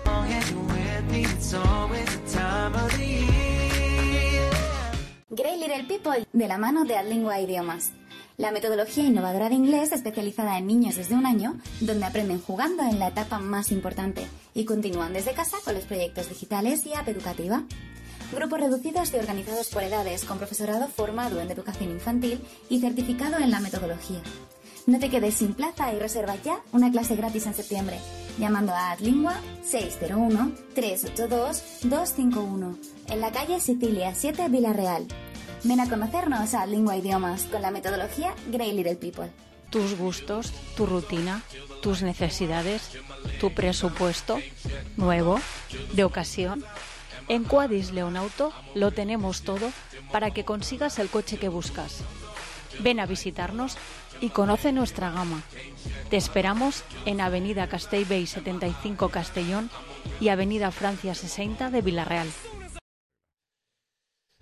Grey Little People, de la mano de Adlingua Idiomas. La metodología innovadora de inglés especializada en niños desde un año, donde aprenden jugando en la etapa más importante y continúan desde casa con los proyectos digitales y app educativa. Grupos reducidos y organizados por edades, con profesorado formado en educación infantil y certificado en la metodología. No te quedes sin plaza y reserva ya una clase gratis en septiembre, llamando a Adlingua seis cero uno, tres ocho dos, dos cinco uno, en la calle Sicilia siete, Villarreal. Ven a conocernos a Adlingua Idiomas con la metodología Grey Little People. Tus gustos, tu rutina, tus necesidades, tu presupuesto, nuevo, de ocasión. En Quadis Leonauto lo tenemos todo para que consigas el coche que buscas. Ven a visitarnos y conoce nuestra gama. Te esperamos en Avenida Castellbell setenta y cinco Castellón y Avenida Francia sesenta de Villarreal.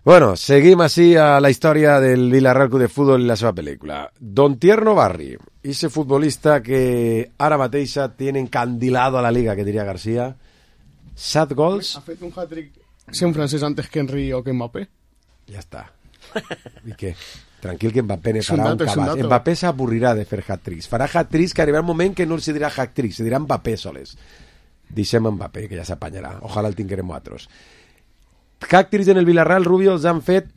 Bueno, seguim així a la història del Villarreal Club de Futbol i la seva pel·lícula. Don Tierno Barri, ese futbolista que ara mateix tiene encandilado a la Liga, que diria García. Set gols. Ha fet un hat-trick sent francès antes que Henry o que Mbappé. Ja està. I què? Tranquil, que Mbappé ne farà un, un cabàs. Mbappé s'avorrirà de fer hat-tricks. Farà hat-tricks que arribarà un moment que no se dirà hat-tricks, se dirà Mbappé soles. Deixem Mbappé, que ja s'apanyarà. Ojalà el tinguerem nosaltres. Hat-tricks en el Villarreal, Rubio, els han fet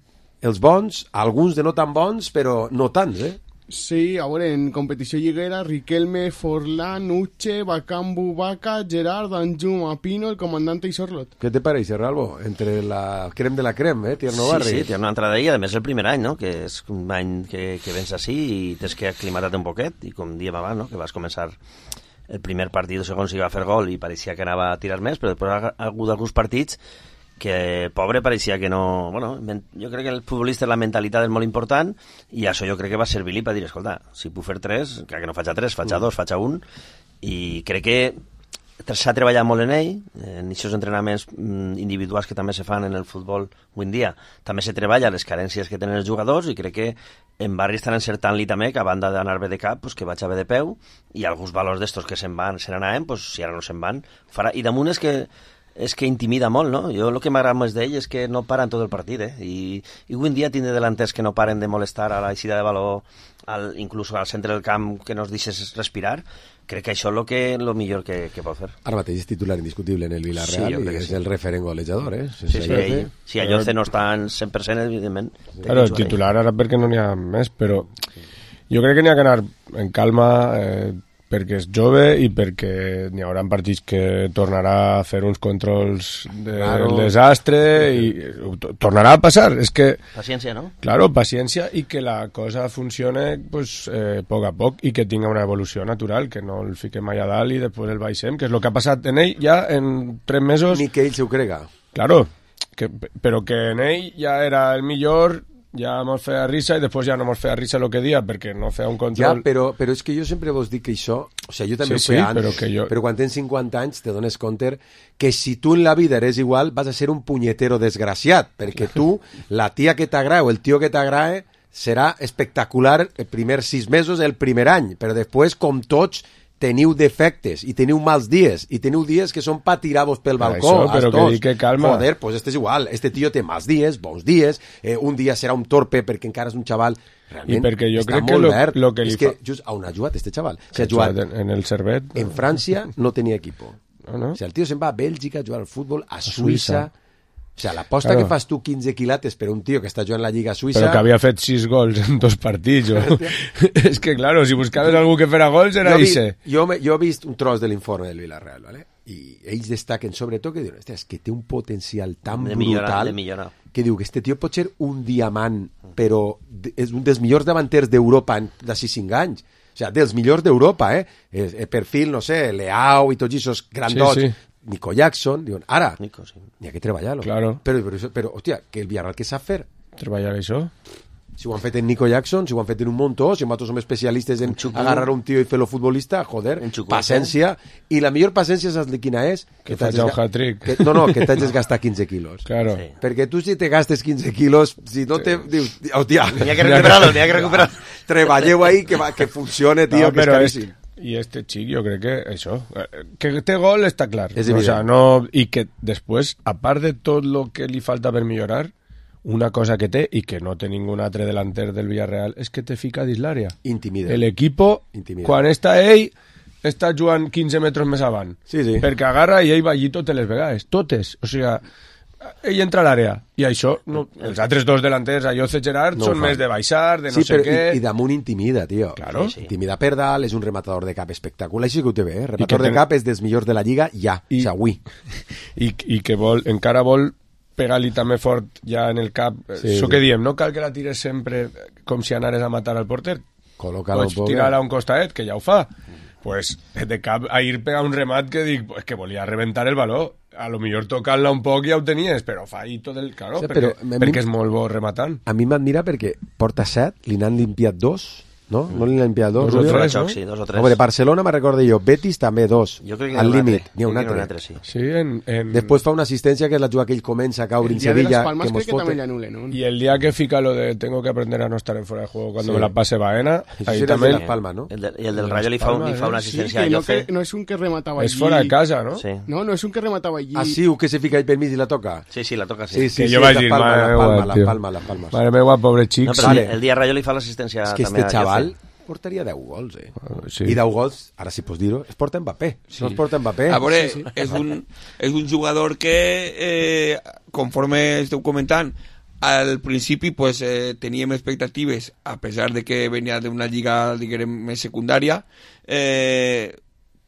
els bons, alguns de no tan bons, però no tants, eh? Sí, a veure, en competició lliguera, Riquelme, Forlán, Uche, Bakambu, Vaca, Gerard, Anjum, Apino, el comandante i Sorlot. ¿Qué te parece, Ralbo? Entre la creme de la creme, eh? Tierno Barri. Sí, sí, té una entrada ahí, a més el primer any, no? Que és un any que, que vens així i tens que aclimatar-te un poquet, i com diem abans, no? Que vas començar el primer partit segons si va fer gol i pareixia que anava a tirar més, però després ha hagut alguns partits que pobre pareixia que no... Bueno, jo crec que el futbolista la mentalitat és molt important i això jo crec que va servir-li per dir, escolta, si puc fer tres, crec que no faig a tres, faig a dos, faig a un, i crec que s'ha treballat molt en ell, en aquests entrenaments individuals que també se fan en el futbol avui en dia, també se treballa les carències que tenen els jugadors i crec que en Barri estan encertant-li també que a banda d'anar bé de cap, pues, que vaig a bé de peu i alguns valors d'estos que se'n van, se n'anaven, pues, si ara no se'n van, farà... I damunt és que és que intimida molt, no? Jo el que m'agrada més d'ell és que no paren tot el partit, eh? I, i avui en dia tindre delanters que no paren de molestar a la eixida de valor, al, inclús al centre del camp, que no es deixes respirar, crec que això és lo, que, lo millor que, que pot fer. Ara mateix és titular indiscutible en el Villarreal, sí, i és sí. El referent golejador, eh? Sí, sí, ell, si Ayoce no està en cent per cent, evidentment. Claro, el titular ara perquè no n'hi ha més, però jo crec que n'hi ha que anar en calma, eh, perquè és jove i perquè n'hi haurà partits que tornarà a fer uns controls del claro. desastre i tornarà a passar. És que, paciència, no? Claro, paciència i que la cosa funcione pues, eh, poc a poc i que tinga una evolució natural, que no el fiquem allà dalt i després el baixem, que és el que ha passat en ell ja en tres mesos. Ni que ell s'ho crega. Claro, que, però que en ell ja era el millor ja mos feia risa i després ja no mos feia risa el que dia perquè no feia un Ja, control. però, però és que jo sempre vos dic que això... O sigui, jo també Sí, ho feia sí, però antes, que jo- però quan tens cinquanta anys te dones compte que si tu en la vida eres igual vas a ser un punyetero desgraciat, perquè tu, la tia que t'agrada o el tio que t'agrada serà espectacular els primers sis mesos, el primer any, però després, com tots, teniu defectes i teniu mals dies i teniu dies que són pa tirar-vos pel Per balcó. això, però els que dos. dic que calma. Joder, pues este és igual. Este tio té mals dies, bons dies, eh, un dia serà un torpe perquè encara és un xaval. Realment, I perquè jo està crec que molt lo- verd. lo que li és que fa- just on ha jugat este xaval? O Que sigui, ha jugat en, en el Servet. en França no tenia equipo. No, no. O sigui, el tio se'n va a Bèlgica a jugar al futbol, a, Suïssa. Suïssa. O sigui, l'aposta Claro. que fas tu quinze quilates per un tio que està jugant a la Lliga Suïssa... Però que havia fet sis gols en dos partits. O... és que, claro, si buscaves algú que fera gols era jo, vi, Ise. jo, me, jo he vist un tros de l'informe del Villarreal, ¿vale? I ells destaquen sobretot que diuen, hòstia, és que té un potencial tan De millorar, brutal de millorar. que diu que este tio pot ser un diamant, però de- és un dels millors davanters d'Europa en- d'ací cinc anys. O sigui, dels millors d'Europa, eh? És, eh? Perfil, no sé, Leao i tots aquests grandots. Sí, sí. Nico Jackson, diuen, ara, Nico, sí. n'hi ha que treballar-lo. Claro. Però, però, això- però, hòstia, que el Villarreal què sap fer? Treballar això? Si ho han fet en Nico Jackson, si ho han fet en un muntó, si nosaltres som especialistes en agarrar un tio i fer-lo futbolista, joder, paciència. I la millor paciència, saps quina és? Que t'hagis faig un ga- hat-trick. que- No, no, que t'hagis gastat quinze quilos. Claro. Sí. Perquè tu si te gastes quinze quilos, si no te... Dius, hòstia... N'hi ha que recuperar-lo, n'hi ha que recuperar-lo. Treballeu ahí, que, va, que funcione, tio, No, que és però és, caríssim. i este xic jo crec que això, eh, que té gol està clar. És o evident. sea, no, i que després, a part de tot el que li falta per millorar, una cosa que té, i que no té ningú altre delanter del Villarreal, és que te fica dins l'àrea. Intimida. El equipo, Intimida. quan està ell, està jugant quinze metres més avant. Sí, sí. Perquè agarra i ell va allí totes les vegades, totes. O sigui, ell entra a l'àrea, i això, no, els altres dos delanters, Ayoce i Gerard, No ho són fan. més de baixar, de no sí, sé però què... I, i damunt intimida, tio. Claro. Sí, sí. Intimida per dalt, és un rematador de cap espectacular. Així que ho té bé, eh? que Rematador de ten- cap és dels millors de la Lliga, ja, I- I... o sigui, avui. I, i que vol, encara vol pegar-li també fort ja en el cap. Sí, Això sí. que diem, no cal que la tires sempre com si anares a matar al porter. Col·loca-lo Pots un poc. tirar-la a un costadet, que ja ho fa. Pues de cap a ir pegar un remat que dic, pues que volia reventar el valor. A lo millor tocant-la un poc ja ho tenies, però fa ahí tot el... Claro, Sí, perquè, però a mi- perquè és molt bo rematant. A mi m'admira perquè porta set, li n'han limpiat dos, no? No li n'han limpiat dos. Dos o Julio? tres, Xoc, no? sí, dos o tres. Hombre, Barcelona me recordo jo, Betis també dos, Jo crec que al n'hi ha un límit. altre. N'hi ha un Crec que n'hi ha un altre. altre, sí. Sí, en, en... Després fa una assistència que és la jugada que ell comença a caure El en día de Sevilla, Las Palmas que creo mos que también fote. le anulen, ¿no? Y el día que fica lo de tengo que aprender a no estar en fuera de juego cuando Sí. me la pase Baena, Això ahí sí era de también... Las Palmas, no? El de, I el del Las Rayo li fa, un, Palmas, li fa una eh? Sí, assistència que a no, Ayoce. que no es un que remataba Es allí. fuera de casa, ¿no? Sí. No, no es un que remataba allí. Ah, sí, un que se fica ahí pel mig i la toca. Sí, sí, la toca, sí. Sí, sí, Que sí, jo és vaig Las dir, Palmas, mare Las meva, Palmas, Las tio. Palmas, Las Palmas. Mare meva, pobre xic. No, però Vale. el, el dia Rayo li fa l'assistència És que també este a xaval Ayoce. portaria deu gols, eh? sí. I deu gols, ara sí pots dir-ho, es porta Mbappé. Sí. No es porta Mbappé. A veure, Sí, sí. és, un, és un jugador que, eh, conforme esteu comentant, al principi pues, eh, teníem expectatives, a pesar de que venia d'una lliga, diguem, més secundària, eh,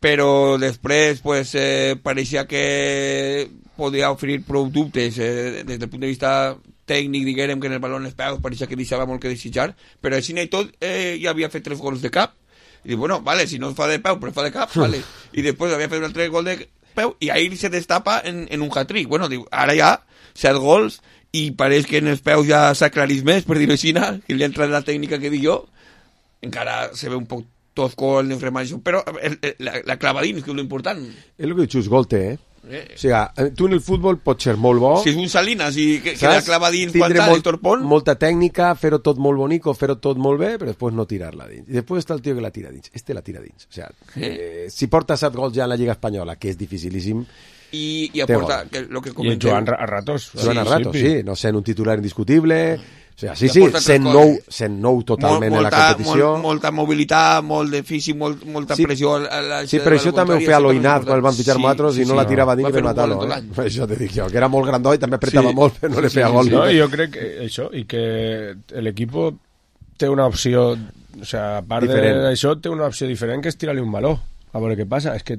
però després pues, eh, pareixia que podia oferir prou dubtes eh, des del punt de vista tècnic, diguem, que en el balón els peus pareixia que deixava molt que desitjar, però així i tot eh, ja havia fet tres gols de cap. I dic, bueno, vale, si no fa de peu, però fa de cap, vale. I després havia fet un altre gol de peu i ahir se destapa en, en un hat-trick. Bueno, diu, ara ja set gols i pareix que en els peus ja s'aclarís més, per dir-ho així, que li entra la tècnica que dic jo. Encara se ve un poc tosco el neufremaixo, però el, el, la, la clavadins, que és l'important. És el que dius, gol té, eh? Eh. O sigui, tu en el futbol pots ser molt bo, Si és un Salinas i que, que la saps? clava dins Tindre quan molt, el torpon, molta tècnica, fer-ho tot molt bonico, fer-ho tot molt bé, però després no tirar-la dins. I després està el tio que la tira dins. Este la tira dins. O sigui, eh, si porta set gols ja en la Lliga Espanyola, que és dificilíssim, i, i té aporta gol. que, lo que I comenteu. jugant a ratos. jugant a ratos, sí, no sent un titular indiscutible, o sigui, sí, I sí, aporta tres sent coses. nou, sent nou totalment Mol- en la competició. Molt, molta mobilitat, molt de físic, molt, molta Sí. pressió. A la, Sí, però això també ho feia l'Oinaz quan el van fitxar nosaltres i no la tirava dins Va per fer un matar-lo. gol en tot Eh? l'any. Això te dic jo, que era molt grandó i també apretava Sí. molt, però no li feia gol. No, jo crec que això, i que l'equip té una opció, o sea, a part Diferent. d'això, té una opció diferent, que és tirar-li un baló, a veure què passa. És que,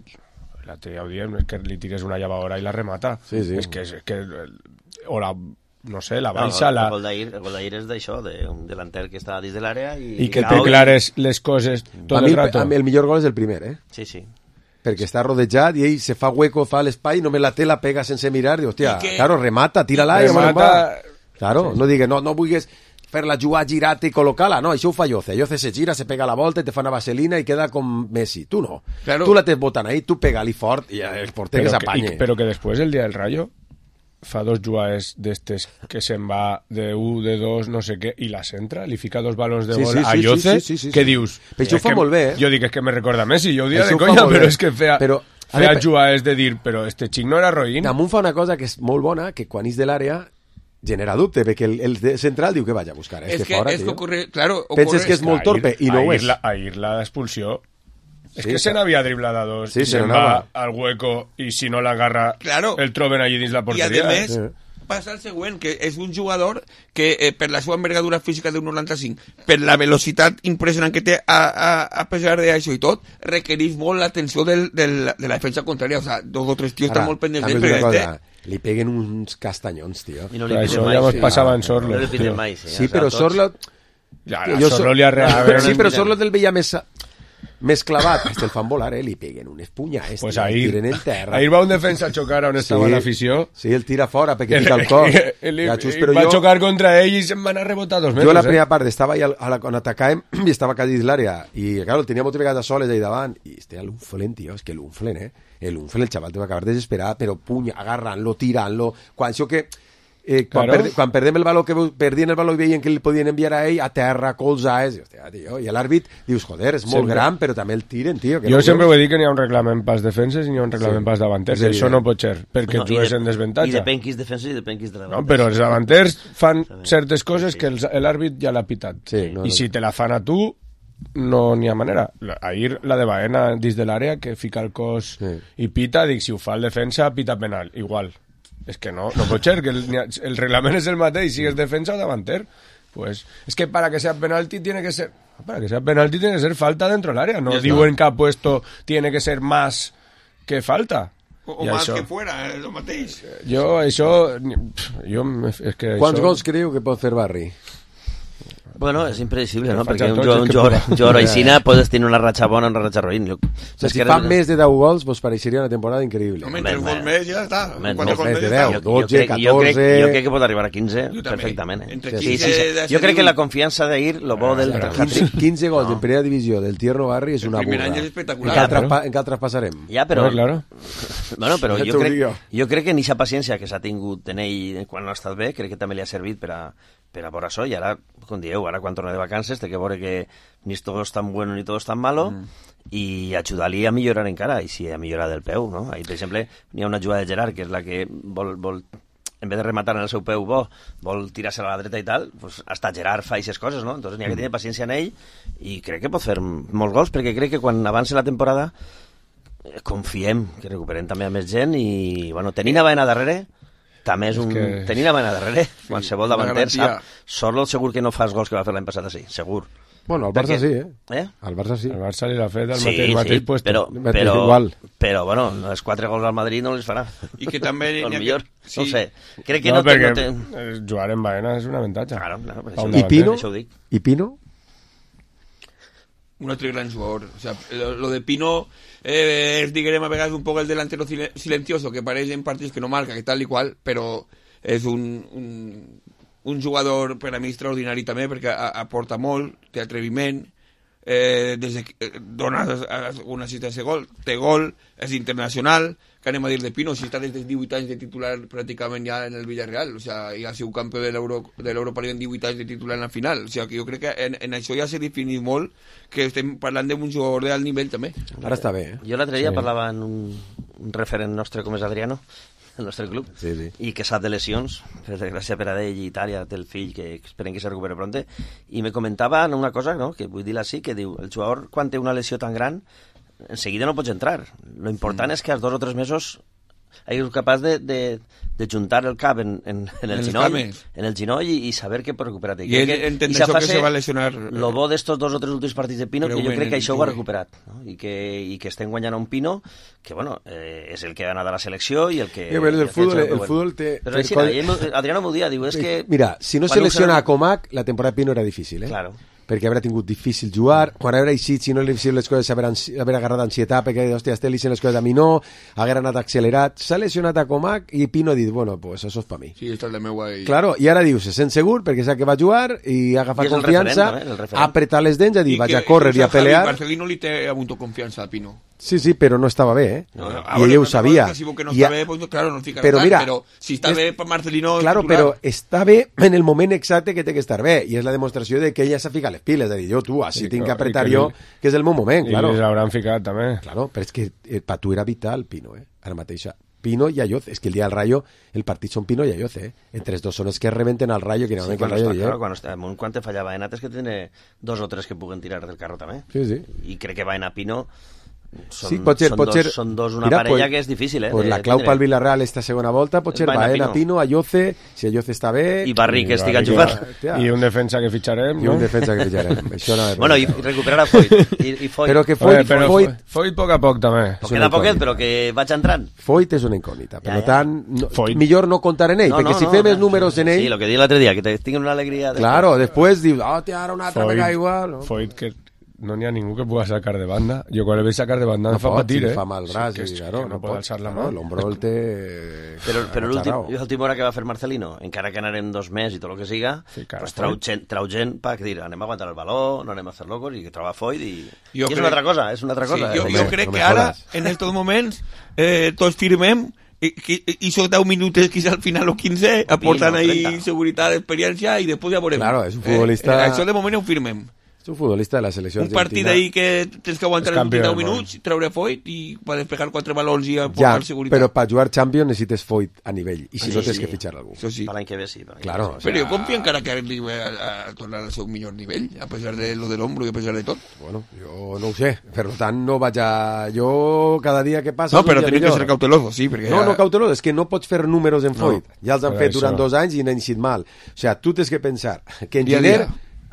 l'altre ja ho diem, és que li tires una llavadora i la remata. Sí, sí. És que, és que o la, no sé, la No, baixa, el, la... el gol d'ahir el gol d'ahir és d'això, d'un delanter que està dins de l'àrea i, I que cau té clares les coses tot A mi el rato. a mi el millor gol és el primer, eh? Sí, sí. Perquè està rodejat i ell se fa hueco, fa l'espai, només la té, la pega sense mirar, diu, hòstia, I que- claro, remata, tira-la i Remata- remata. Claro, no digues, no, no vulguis fer-la jugar, girar-te i col·locar-la. No, això ho fa Yoce. Yoce se gira, se pega la volta, te fa una vaselina i queda com Messi. Tu no. Claro. Tu la tens botant ahí, tu pega-li fort i el porter que s'apanye. Però que després, el dia del Rayo, fa dos jugades d'estes que se'n va de u, de dos, no sé què, i la centra, li fica dos balons de Sí, gol sí, a sí, Yoce, sí, sí, sí, sí, què sí. dius? Però això ho fa que, molt bé, eh? Jo dic, és que me recorda a Messi, jo ho dia Això de ho fa conya, molt però bé. és que feia, Però, a feia veure, jugades de dir, però este xic no era roïn. Damunt fa una cosa que és molt bona, que quan és de l'àrea genera dubte, perquè el, el de central diu que vaig a buscar. Es este que, fora, es que tio. ocurre, claro, Penses ocurre- que és molt torpe i no ho és. La, ahir la d'expulsió. És Sí, que se clar. n'havia driblat a dos, Sí, i se se'n n'anava. va al hueco, i si no l'agarra, Claro. el troben allí dins la I a porteria. més, eh? passa el següent, que és un jugador que eh, per la seva envergadura física d'un noranta-cinc, per la velocitat impressionant que té a, a, a pesar d'això i tot, requereix molt l'atenció del, del, de la defensa contrària. O sea, dos o tres tios Ara, estan molt pendents també d'ell, us dic però una este... cosa, li peguen uns castanyons, tio. I no li Però piden això mai, ja mos sí. passava en Sorlo. No li piden tio. mai, sí. Sí, o sea, però tots- Sorlo... Ja, Jo a Sorlo li ha regalat... Sí, però Sorlo el veia més... més clavat. Este el fan volar, eh? Li peguen unes punyades, Pues tio, el ahir, tiren en terra. ahir va un defensa a xocar on estava Sí, l'afició. Sí, el tira fora perquè pica el cor. Li, Ja, just, li però va jo- xocar contra ell i se'n van a rebotar dos metres. Jo la eh? primera part estava allà a la, quan atacàvem i estava quasi dins l'àrea i claro, el tenia moltes vegades a soles ahí davant i este l'unflen, tio, és que l'unflen, eh? L'unflen, el xaval te va acabar desesperat, però puny, agarrant-lo, tirant-lo, quan això que eh, quan, Claro. perde, quan perdem el valor que perdien el valor i veien que li podien enviar a ell a terra, colzades, i, hòstia, tio, i l'àrbit dius, joder, és molt Sempre. gran, però també el tiren, tio. Que Jo no sempre veus? ho he dit que n'hi ha un reglament pas defenses i n'hi ha un reglament Sí. pas davanters. És Això evident. no pot ser, perquè No, i jugues de- en desavantatge. I depèn qui és defensa i depèn qui és de la No, però els davanters fan certes coses que els- l'àrbit ja l'ha pitat. Sí, no, I no. si te la fan a tu, no n'hi ha manera. La- Ahir la de Baena dins de l'àrea, que fica el cos Sí. i pita, dic, si ho fa el defensa, pita penal. Igual. És que no, no pot ser, que el, n'hi ha- el reglament és el mateix, si és defensa o davanter. Pues, es que para que sea penalti tiene que ser... Para que sea penalti tiene que ser falta dentro del área. No Ya digo está. en que ha puesto tiene que ser más que falta. O, o I más això- que fuera, eh, lo mateix. Jo, això... Jo, és que Quants això... gols creu que pot fer Barri? Bueno, és impredecible, no? Faig Perquè a un tots jugador, els un que jugador, puc. un jugador aixina podes tenir una ratxa bona o una ratxa roïn. Jo- O sigui, és si que fa era- més de deu gols, pues pareixeria una temporada increïble. Home, tres Home, gols més ja està. Home, Quatre no, gols més més de ja deu. està. Jo, jo, dotze, crec, jo, crec, catorze. jo crec que pot arribar a quinze Jo també. perfectament. Eh? Entre Sí, quinze sí, sí. de Jo crec ser que la divuit. confiança d'ahir, lo bo del Però quinze, quinze gols en primera divisió del Tierno Barri és El una primer burra. any és En espectacular. cal, Claro. traspa, en cal traspasarem? Ja, però... No, claro. Bueno, però Ja jo t'ho crec, dic jo. jo crec que en aquesta paciència que s'ha tingut en ell quan no ha estat bé, crec que també li ha servit per a, per a veure això, i ara, com dieu, ara quan torna de vacances té que veure que ni todo es tan bueno ni todo es tan malo, mm. i ajudar-li a millorar encara, i si a millorar del peu, no? Ahí, per exemple, n'hi ha una jugada de Gerard, que és la que vol, vol en vez de rematar en el seu peu bo, vol tirar-se a la dreta i tal, pues hasta Gerard fa aquestes coses, no? Entonces n'hi ha que tenir paciència en ell, i crec que pot fer molts gols, perquè crec que quan avance la temporada eh, confiem que recuperem també a més gent, i, bueno, tenint a Baena darrere, també és un... que- Tenint a Baena darrere, qualsevol una davanter garantia. sap, Sorlo segur que no fa els gols que va fer l'any passat així, segur. Bueno, al Barça Perquè- sí, eh? Eh? Al Barça sí. El Barça li l'ha fet al Sí, mateix, sí, mateix puesto. però, Mateix però, igual. però, bueno, els quatre gols al Madrid no les farà. I que també... O n'hi ha millor, que- no sí. sé. Crec que no, no, té... perquè No té... eh, jugar en Baena és un avantatge. Claro, claro, per Pa això, un I davanter. Pino? això ho dic. I Pino? Un altre gran jugador. O sea, lo, lo de Pino eh, es, diguem, a vegades un poco el delantero sil- silencioso, que pareix en partits que no marca, que tal i qual, però és un, un, un jugador per a mi extraordinari també, perquè a, aporta molt, té atreviment, eh, des de, eh, dona una assistència de gol, té gol, és internacional, que anem a dir de Pino, si està des dels divuit anys de titular pràcticament ja en el Villarreal, o sea, ja ha sigut campió de l'Euro- de l'Europa League en divuit anys de titular en la final, o sea, que jo crec que en, en això ja s'ha definit molt que estem parlant d'un jugador d'alt nivell també. Ara està bé, eh? Jo l'altre dia Sí. parlava amb un, un referent nostre com és Adriano, el nostre club, Sí, sí. i que sap de lesions, per desgràcia per a ell i Itàlia té el fill que esperem que se recupere pronte, i me comentava una cosa, no?, que vull dir-la així, que diu, el jugador quan té una lesió tan gran en seguida no pots entrar, lo important mm. és que als dos o tres mesos hagis capaç de, de, de juntar el cap en, en, en el En els ginoll, cames. en el ginoll i, i saber que pot recuperar-te. I ell entén això que se va lesionar. Lo bo d'estos dos o tres últims partits de Pino, Però que jo ben, crec que això ho ha Jove. recuperat, no? I, que, i que estem guanyant a un Pino que, bueno, eh, és el que ha anat a la selecció i el que... Eh, però el i fútbol- que ha fet el bueno. fútbol té- Però té així, col- ell m'ho- Adriano m'ho dia, diu, és que... Mira, si no quan se lesiona usen- a Comac, la temporada de Pino era difícil, eh? Claro. perquè haurà tingut difícil jugar, quan haurà eixit, si no li havia les coses, haver, haver agarrat ansietat, perquè, hòstia, estel les coses a mi no, haguera anat accelerat, s'ha lesionat a Comac, i Pino ha dit, bueno, pues això és per mi. Sí, esto es de meu ahí. Claro, i ara diu, se sent segur, perquè sap que va jugar, i ha agafat confiança, ha apretat les dents, ha dit, vaig a córrer i a pelear. Marcelino li té apunto confiança a Pino. Sí, sí, però no estava bé, eh? No, no, I ell ho sabia. Si que no està bé, pues, claro, no fica però, mira, però si està és, bé per Marcelino... Claro, però està bé en el moment exacte que té que estar bé, i és la demostració de que ella s'ha ficat les piles, de dir, jo, tu, així sí, tinc que apretar jo, que és el meu moment, claro. I les hauran ficat, també. Claro, però és que eh, per tu era vital, Pino, eh? Ara mateixa. Pino i Ayoce, és que el dia del Rayo, el partit són Pino i Ayoce, eh? Entre els dos són els que rebenten al Rayo, que sí, que el Rayo està, claro, quan, està, quan te fallava Enat és que tiene dos o tres que puguen tirar del carro també. Sí, sí. I crec que va anar Pino... Són, sí, pot ser, són, pot dos, ser, són dos una mira, parella pues, que és difícil, eh? Pues la clau pel Villarreal esta segona volta pot ser Baena, Pino, Ayoce, si Ayoce està bé... I Barri, que estic enxufat. I un defensa que fitxarem, I no? un defensa que fitxarem. Això no bueno, i recuperar a Foyt. I, i Foyt. Però que Foyt... Però Foyt, Foyt poc a poc, també. Queda poquet, però que vaig entrant. Foyt és una incògnita, per ja, ja. tant, no, millor no contar en ell, no, perquè no, si no, fem no, els números en ell... Sí, lo que di l'altre dia, que te tinguin una alegria... Claro, després dius, oh, te ara una altra vegada igual... Foyt, que no n'hi ha ningú que puga sacar de banda. Jo quan el veig sacar de banda no em fa pot, patir, si eh? fa mal braç, sí, i, claro, no, no pot alçar la mà. mà. L'ombro el té... Però, però l'última hora que va fer Marcelino, encara que anarem dos mesos i tot el que siga, sí, pues trau, gent, trau gent per dir, anem a aguantar el baló, no anem a fer locos, i que troba Foyt, i, i és crec... una altra cosa, és una altra cosa. Sí, jo, eh? jo crec que ara, en estos moments, eh, tots firmem i, i, i són deu minuts, quizá al final o quinze, aporten ahí seguretat, experiència, i després ja veurem. Claro, és un futbolista... Eh, això de moment ho firmem. És un futbolista de la selecció un partit ahí que tens que aguantar els deu minuts, treure Foyt i per despejar quatre balons i aportar ja, seguretat. Però per jugar Champions necessites Foyt a nivell, i si sí, no tens sí. que fitxar algú. Això sí. Per l'any que ve sí. Claro, o sea... Però jo confio encara que arribi a, a tornar al seu millor nivell, a pesar de lo del hombro i a pesar de tot. Bueno, jo no ho sé, per tant no vaig a... Jo cada dia que passa... No, però tenim que ser cauteloso, sí, perquè... No, ja... no cauteloso, és que no pots fer números en Foyt. No, ja els han fet això. durant dos anys i n'han eixit mal. O sea, tu tens que pensar que en Giner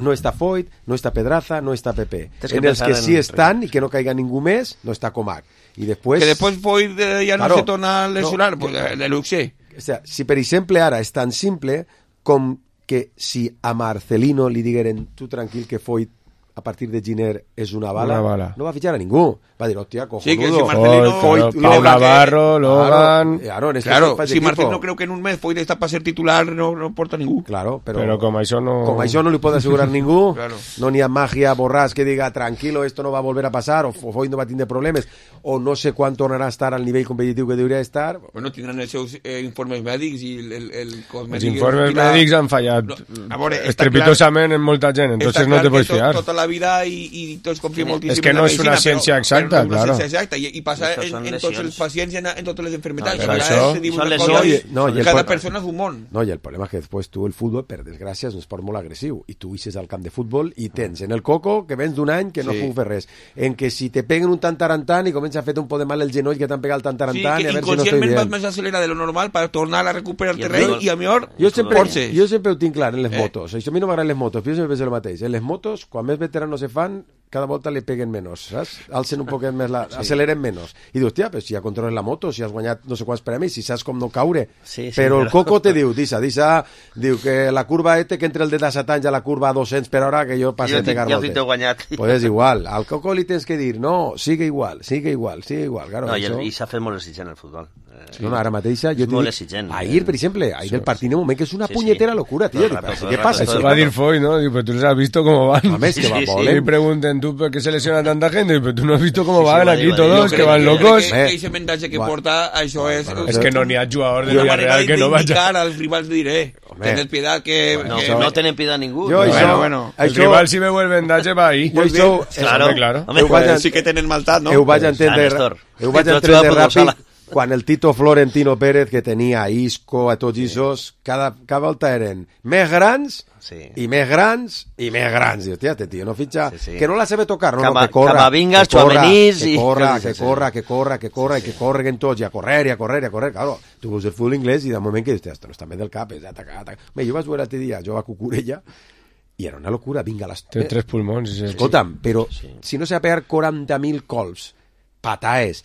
no està Foyt, no està Pedraza, no està Pepe. En els que sí estan i que no caiga ningú més, no està Comac. I després... Que després Foyt eh, ja no claro, se torna a lesionar, no, pues de, de luxe. O sea, si per exemple ara és tan simple com que si a Marcelino li digueren tu tranquil que Foyt a partir de Giner és una bala, una bala, no va fitxar a ningú. Va dir, hòstia, cojonudo. Sí, que si Marcelino... Foyt, Pau Navarro, Logan... Claro, claro, claro si Marcelino creo que en un mes Foyt està per ser titular, no, no porta ningú. Claro, però, però com això no... Com això no li pot assegurar ningú, claro. No n'hi ha màgia borràs que diga, tranquilo, esto no va a volver a pasar, o Foyt no va tindre problemes, o no sé quan tornarà a estar al nivell competitiu que hauria d'estar. Bueno, tindran els seus eh, informes mèdics i el, el, el els informes mèdics han fallat no, veure, estrepitosament en molta gent, entonces no te pots fiar. Tota la vida i, i tots confiem moltíssim és que no és una ciència exacta, però, claro. No és una ciència exacta, i, i passa en, en tots els pacients i en, en totes les enfermedades. No, això, són lesions. No, i cada el, persona és un món. No, i el problema és que després tu el futbol, per desgràcia, és un esport molt agressiu, i tu ixes al camp de futbol i tens en el coco que vens d'un any que no sí. puc fer res, en que si te peguen un tantarantant i comença a fer un poc de mal el genoll que t'han pegat el tantarantant, sí, i a veure si no estoy bien. Vas més acelerar de lo normal per tornar a recuperar el terreny i a millor jo sempre, jo sempre ho tinc clar en les eh. motos, això a mi no m'agraden les motos, però jo sempre penso el mateix, en les motos, quan més veteranos se fan, cada volta li peguen menys, saps? Alcen un poquet més, la, sí. acceleren menys. I dius, hòstia, però si ja controles la moto, si has guanyat no sé quants premis, si saps com no caure. Sí, sí, però però... el coco te diu, disa, disa, diu que la curva este, que entre el de disset anys a la curva a dos-cents per hora, que jo passe a pegar moltes. moltes. Jo t'he guanyat. Pues és igual. Al coco li tens que dir, no, sigue igual, sigue igual, sigue igual. Claro, no, i, això... el, i s'ha fet molt exigent el futbol. Eh, no, no, ara mateixa, jo molt dic, exigent. ahir, per exemple, ahir del partit, un moment que és una sí, punyetera sí. locura, tío. No, rato, ¿Qué pasa? Eso va a decir Foy, ¿no? Digo, pero tú les has visto cómo van. A mes, sí, que va sí, sí. Y pregunten tú por qué se lesiona tanta gente, pero tú no has visto cómo sí, van sí, aquí vale, todos, vale. que van crec locos. Que, que ese mensaje que bueno. porta, això és... Bueno, es que no n'hi ha jugador de Villarreal que no vaya. Als rivals de diré, tened piedad que... No, que no, no tenen piedad ningú. Jo, bueno, això, bueno, això, el rival si veu el vendatge va ahí. Jo això... Claro, claro. Home, pues, sí que tenen maltat, no? Ho vaig entendre, ho vaig entendre ràpid quan el Tito Florentino Pérez, que tenia a Isco, a tots isos, cada, cada volta eren més grans sí. i més grans i més grans. I, hòstia, este tio no fitxa... Sí, sí. Que no la sabe tocar, no, Cama, no, que corra, Camavingas, que corra, Tchouaménis que i... corra, sí, que sí, corra, sí. que corra, que corra, sí, i que correguen tots, i a correr, i a correr, i a correr. Claro, tu veus el futbol inglès i de moment que dius, esto no està bé del cap, és atacar, atacar. Bé, jo vaig veure l'altre dia, jo a Cucurella, i era una locura, vinga, les... Té tres pulmons. Sí. Escolta'm, però sí. si no s'ha pegat quaranta mil colps, pataes,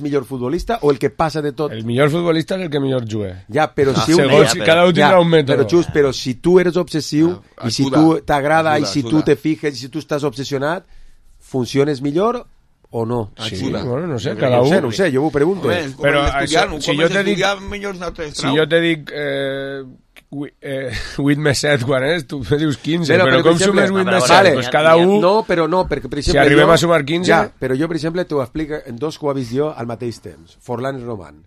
és millor futbolista o el que passa de tot? El millor futbolista és el que millor juga. Ja, però ah, si un... Segons, ja, cada un tindrà un mètode. Però, just, però si tu eres obsessiu ah, i si ajuda, tu t'agrada ajuda, i si ajuda. tu te fijes i si tu estàs obsessionat, funciones millor o no? Sí, Xina? bueno, no sé, No cada sé, un. no sé, jo ho pregunto. Home, com Però hem d'estudiar, això, si jo te dic... Millors si jo te dic eh, eh, vuit més set quan és, tu me dius quinze, Però, però, però, com per exemple, sumes vuit vale, més set? vale, Pues cada un... No, però no, perquè, per exemple... Si arribem jo, a sumar quinze... Ja, però jo, per exemple, t'ho explico en dos que ho he vist jo al mateix temps. Forlán i Roman.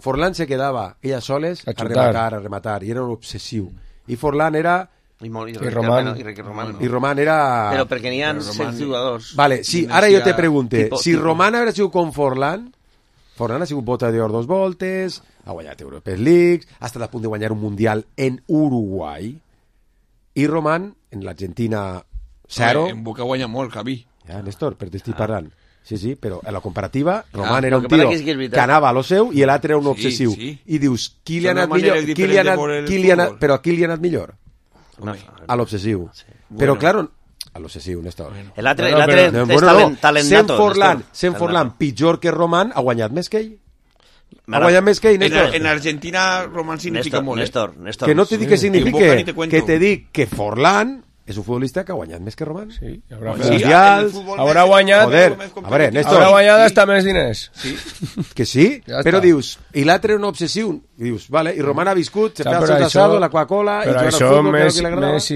Forlán se quedava ella soles a, A a xutar. rematar, a rematar, i era un obsessiu. I Forlán era... I, molt, i, I Roman. I, Ricky Roman. I Roman era... Però perquè n'hi ha set jugadors. Vale, sí, ara jo te pregunte, tipo, si tipo. Roman hagués sigut com Forlán, Forlán ha sigut bota d'or dos voltes, ha guanyat European League, ha estat a punt de guanyar un Mundial en Uruguai, i Roman, en l'Argentina zero... En Boca guanya molt, Javi. Ja, Néstor, però t'estic parlant. Sí, sí, però en la comparativa, Roman Ah, era lo un que pasa tio que és que és veritat. que anava a lo seu i l'altre era un Sí, obsessiu. sí. I dius, qui li ha Són anat maneres millor? Qui li ha diferents de anat, veure el qui li ha anat, futbol. però a qui li ha anat millor? No, A l'obsessiu. Però, Bueno. claro, a l'obsessiu, Néstor. L'altre Bueno, l'altre però- és bueno, talent, no, talent sent nato. Forlán, Néstor. sent Talent Forlán, nato. pitjor que Roman, ha guanyat més que ell. Ha Mara- guanyat més que ell, En, Néstor. en Argentina, Roman significa Néstor, molt, eh? Néstor, Néstor. Que no te dic que En Boca signifique, ni te cuento. que te dic que Forlán és un futbolista que ha guanyat més que Roman. Sí, haurà, Sí, fet- Mundials, en el futbol haurà més- guanyat... Joder, més a veure, competitiu. Néstor. Haurà guanyat hasta més diners. Sí. Que sí, Ja però està. dius, i l'altre era un obsessiu, i dius, vale, i Roman ha viscut, se Ja, fa el però seu això- asado, la Coca-Cola, i Però juga al això futbol, que és el Messi, que li agradava. Messi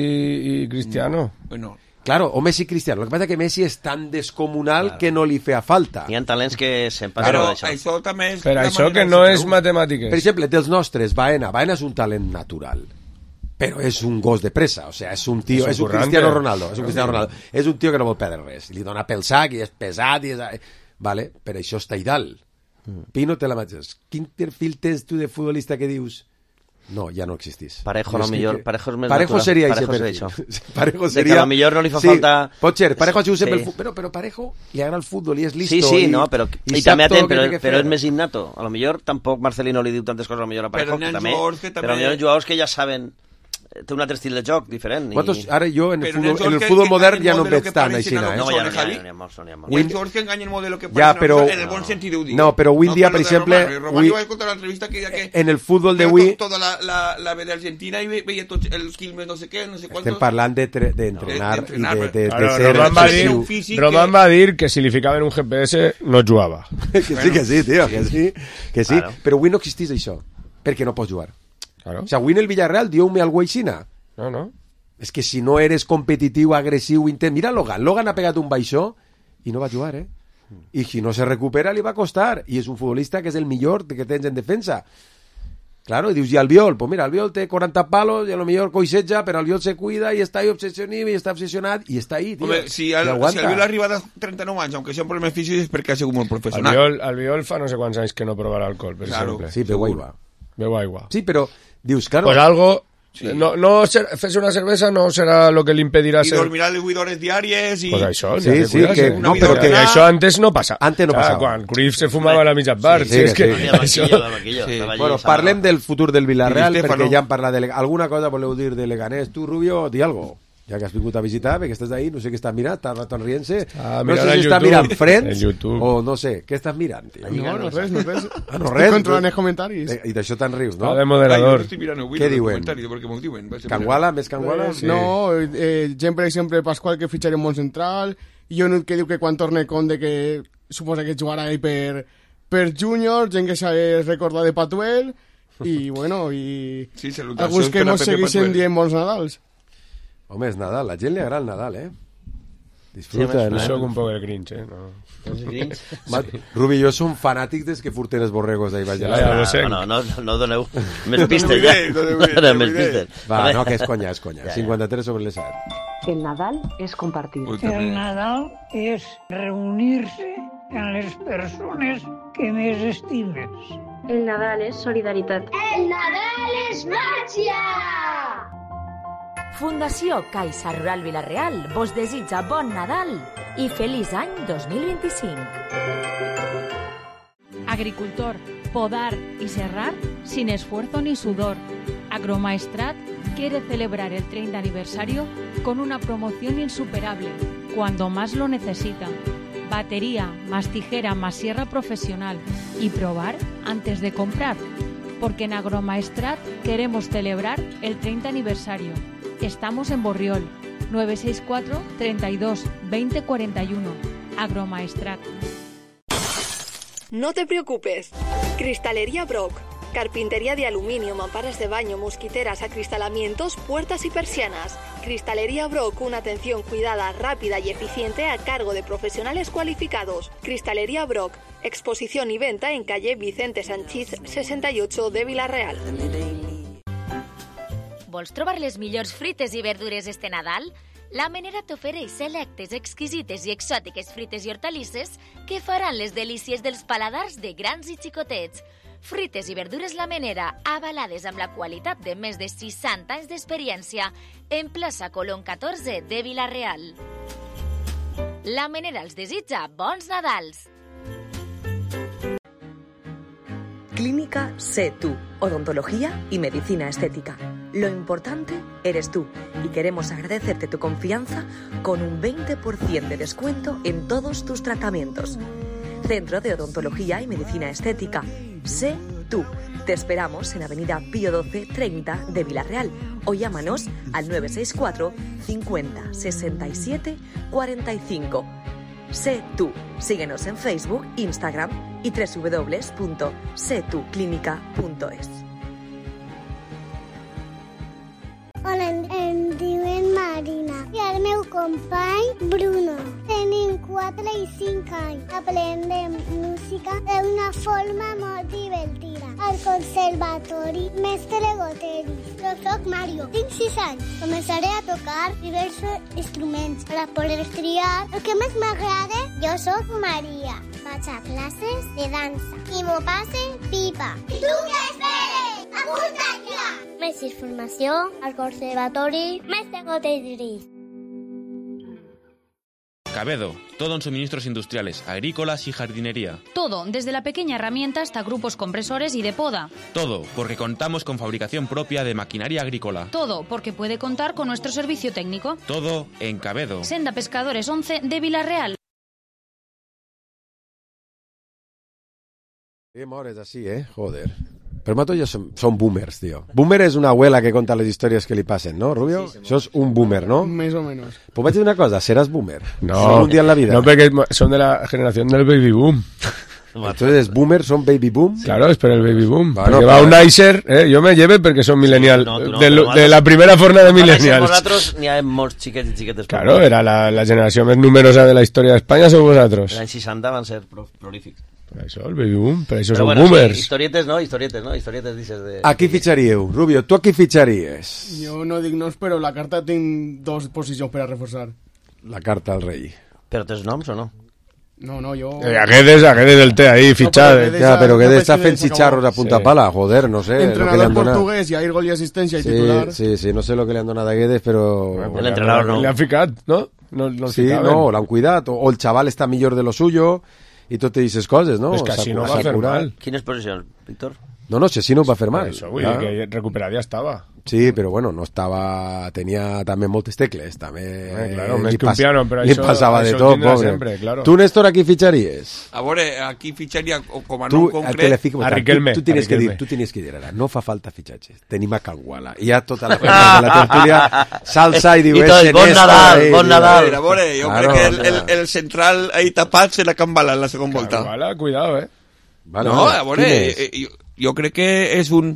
i Cristiano. Bueno, Claro, o Messi i Cristiano. Lo que pasa es que Messi és tan descomunal que no li feia falta. Hi ha talents que se'n passen però d'això. això també és... Per la això manera que de no ser és prou. matemàtiques. Per exemple, dels nostres, Baena. Baena és un talent natural. Però és un gos de pressa, o sea, és un tio, És un és un currante. Cristiano Ronaldo, és un Cristiano Ronaldo. És un tio que no vol perdre res. Li dona pel sac i és pesat i és... Vale, per això està ideal. Pino te la mateix. Quin perfil tens tu de futbolista que dius? No, ja no existís. Parejo, Jo a lo és que- millor, que- Parejo és més Parejo natural. seria Parejo ese seria perfil. això. Parejo De seria... que a lo millor no li fa sí, falta- Pot ser, Parejo ha sigut sempre Sí. el fu- però, però Parejo li agrada el futbol i és listo. Sí, sí, i, no, però... I, sap també tot atent, el que però, té que però fer. és més innato. A lo millor tampoc Marcelino li diu tantes coses a lo millor a Parejo, Però que n'hi ha també, jugadors que també- però a lo millor hi ha jugadors que ja saben... Té un altre estil de joc diferent. I... Vosaltres, ara jo en el Però futbol, n'hi ha en el que- futbol que modern enganyen ja no molt de lo veig que tant pareixen així, a eh? No, lo ja que no, Javi. ja no, hi ha molts, no hi ha molts. Hi ha jugadors que enganyen molt de lo que Ja, pareixen a però- lo- en el bon sentit ho dic. No, però avui en dia, per com lo de exemple, Román. Román, avui- jo vaig escoltar una entrevista que deia que En el futbol veia d'avui to- tota la, la, la B d'Argentina i ve- veia tots els Quilmes no sé què, no sé quantos... estem parlant de tre- d'entrenar De- i d'entrenar, de, de, de Claro, ser Roman, va obsessiu. dir, un físic Roman que- va dir que si li ficaven un G P S no jugava. Que sí, que sí, tio, que sí. Que sí. Claro. Però avui no existís això, perquè no pots jugar. Claro. O sea, avui en el Villarreal diu-me algo aixina. No, no. És que si no eres competitiu, agressiu, intent... Mira Logan, Logan ha pegat un baixó i no va jugar, eh? I si no se recupera li va costar. I és un futbolista que és el millor que tens en defensa. Claro, y dius, i Albiol? Pues mira, Albiol té quaranta palos i a lo millor coixeja, però Albiol se cuida i està ahí obsessionat i està obsessionat i està ahí, tio. Home, si, I el, si aguanta. Albiol arriba a trenta-nou anys, aunque sean problemes físics, és perquè ha sigut molt professional. Albiol, Albiol fa no sé quants anys que no provarà alcohol, per Claro. exemple. Sí, beu aigua. Beu aigua. Sí, però dius, claro... Pues algo... Sí. No, no ser, fer una cervesa no serà lo que li impedirà I ser... dormirà de vuit hores diàries i... Pues això, Sí, ja sí, cuidarse. que- no, però que que- això antes no passa. Antes no Clar, passava. Quan Cruyff se fumava a la mitja part. Sí, Sí, sí, és que sí. I el això... banquillo, el banquillo. Sí. estava allí, Bueno, estava- parlem del futur del Villarreal, I Di Stefano. perquè ja hem parlat de... Lega- Alguna cosa voleu dir de Leganés? Tu, Rubio, di algo. Ja que has vingut a visitar, perquè estàs ahí, no sé què estàs mirant, estàs raton rient-se. Ah, no sé mirant si en estàs YouTube. mirant Friends En YouTube. o no sé, què estàs mirant, tio? No, no res, no res. Ah, no Estic res. controlant els comentaris. Eh, I d'això te'n rius, no? Va de Ai, jo moderador. no estic mirant avui Què el diuen? comentari, perquè m'ho diuen. vaig a Canguala, més Canguala? Pues, No, eh, gent, per exemple, Pasqual, que fitxarà un món central, i un que diu que quan torne Conde, que suposa que jugarà ahí per, per júnior, gent que s'ha recordat de Patuel, i bueno, i Sí, salutacions alguns que per a mos Pepe segueixen Patuel. dient bons Nadals. Home, és Nadal, la gent li agrada el Nadal, eh? Sí, Disfruta. home, no? Jo soc un poc el Grinch, eh? No. Ma- Rubi i jo som fanàtics des que furten els borregos d'ahir baix de la Ja, ja sala. ho sé. No, no, no, no doneu més pistes, ja. No doneu idees, No doneu més no doneu pistes. Va, no, que és conya, és conya. Ja, ja. cinquanta-tres sobre les set. El Nadal es compartir. Ui, El també. Nadal és reunir-se amb les persones que més estimes. El Nadal és solidaritat. El Nadal és màgia! Fundació Caixa Rural Vilareal vos desitja bon Nadal i feliç any dos mil vint-i-cinc. Agricultor, podar y serrar sin esfuerzo ni sudor. Agromaestrat quiere celebrar el treinta aniversario con una promoción insuperable, cuando más lo necesitan. Batería, más tijera, más sierra profesional y probar antes de comprar. Porque en Agromaestrat queremos celebrar el treinta aniversario. Estamos en Borriol, nueve seis cuatro, treinta y dos, veinte cuarenta y uno. Agromaestrat. No te preocupes. Cristalería Brock. Carpintería de aluminio, mamparas de baño, mosquiteras, acristalamientos, puertas y persianas. Cristalería Brock, una atención cuidada, rápida y eficiente a cargo de profesionales cualificados. Cristalería Brock, exposición y venta en calle Vicente Sanchís sesenta y ocho de Vila-real. Vols trobar les millors frites i verdures este Nadal? La Menera t'ofereix selectes, exquisites i exòtiques frites i hortalisses que faran les delícies dels paladars de grans i xicotets. Frites i verdures La Menera, avalades amb la qualitat de més de seixanta anys d'experiència, en plaça Colón catorze de Vila-real. La Menera els desitja bons Nadals! Clínica Sé Tú, odontología y medicina estética. Lo importante eres tú y queremos agradecerte tu confianza con un veinte por ciento de descuento en todos tus tratamientos. Centro de Odontología y Medicina Estética. Sé Tú. Te esperamos en Avenida Pío doce treinta de Vila-real o llámanos al nueve seis cuatro cincuenta sesenta y siete cuarenta y cinco. Sé Tú. Síguenos en Facebook, Instagram y doble u doble u doble u punto sé tú clínica punto es. Hola, em diuen Marina i el meu company Bruno. Tenim quatre i cinc anys. Aprendem música d'una forma molt divertida. Al conservatori Mestre Goteris. Jo soc Mario, tinc sis anys. Començaré a tocar diversos instruments per a poder triar el que més m'agrada. Jo soc Maria. Vaig a classes de dansa i m'ho passe pipa. I tu què esperes? Apunta't ja! Més informació al Conservatori Mestre Goteris. Cabedo, todo en suministros industriales, agrícolas y jardinería. Todo, desde la pequeña herramienta hasta grupos compresores y de poda. Todo, porque contamos con fabricación propia de maquinaria agrícola. Todo, porque puede contar con nuestro servicio técnico. Todo en Cabedo. Senda Pescadores once de Vila-real. Qué mores así, eh? Joder. Pero mato ya son, son boomers, tío. Boomer es una abuela que cuenta las historias que le pasen, ¿no, Rubio? Sí, Sos un boomer, ¿no? Más o menos. Pues voy a decir una cosa, serás boomer. No, un día en la vida. No, porque son de la generación del baby boom. Entonces, boomer son baby boom. Claro, es por el baby boom. Bueno, porque va un Nicer, eh, yo me lleve porque son millennial. Sí, no, no, de, no, de la primera forma de millennials. Vosaltres n'hi ha molts xiquets i xiquetes. Claro, era la, la generación más numerosa de la historia de España, son vosotros. Els anys seixanta van ser prolífics. Per això, el baby boom, per això Però són bueno, boomers. Sí, historietes, no? Historietes, no? Historietes dices de... ¿A qui fitxaríeu? Rubio, tu a qui fitxaries? Jo no dic noms, però la carta tinc dos posicions per a reforçar. La carta al rei. Però tens noms o no? No, no, yo... Eh, a Guedes, a Guedes del té ahí, fichado. No, ya, pero Guedes está fent chicharros a punta sí. pala, joder, no sé. Entrenador lo que le han portugués, y a ir gol y asistencia y sí, titular. Sí, sí, no sé lo que le han donado a Guedes, pero... Bueno, el entrenador no. Le han ficat, ¿no? no, no sí, no, l'han cuidat. O el chaval está millor de lo suyo y tú te dices cosas, ¿no? Es que así no va a fer mal. Quines posicions, Víctor? No, no, si así no va a fer mal. Eso, vull dir que recuperat ja estava. Sí, però bueno, no estava... Tenia també moltes tecles, també... Eh, claro, més que un piano, però li això, passava això de tot, pobre. Sempre, claro. Tu, Néstor, a qui fitxaries? A veure, aquí fitxaria com a tu, nom concret... Fico, a Riquelme. Tu, tu, tienes a Riquelme. Que dir, tu tienes que dir ara, no fa falta fitxatges. Tenim a Canguala. I ja tota la, la tertúlia salsa i diu... I tot, bon Nadal, bon Nadal. A veure, jo claro, crec que el, el, el central ahí tapat serà Canguala en la segona volta. Canguala, cuidado, eh. Vale, no, a veure, jo, jo crec que és un...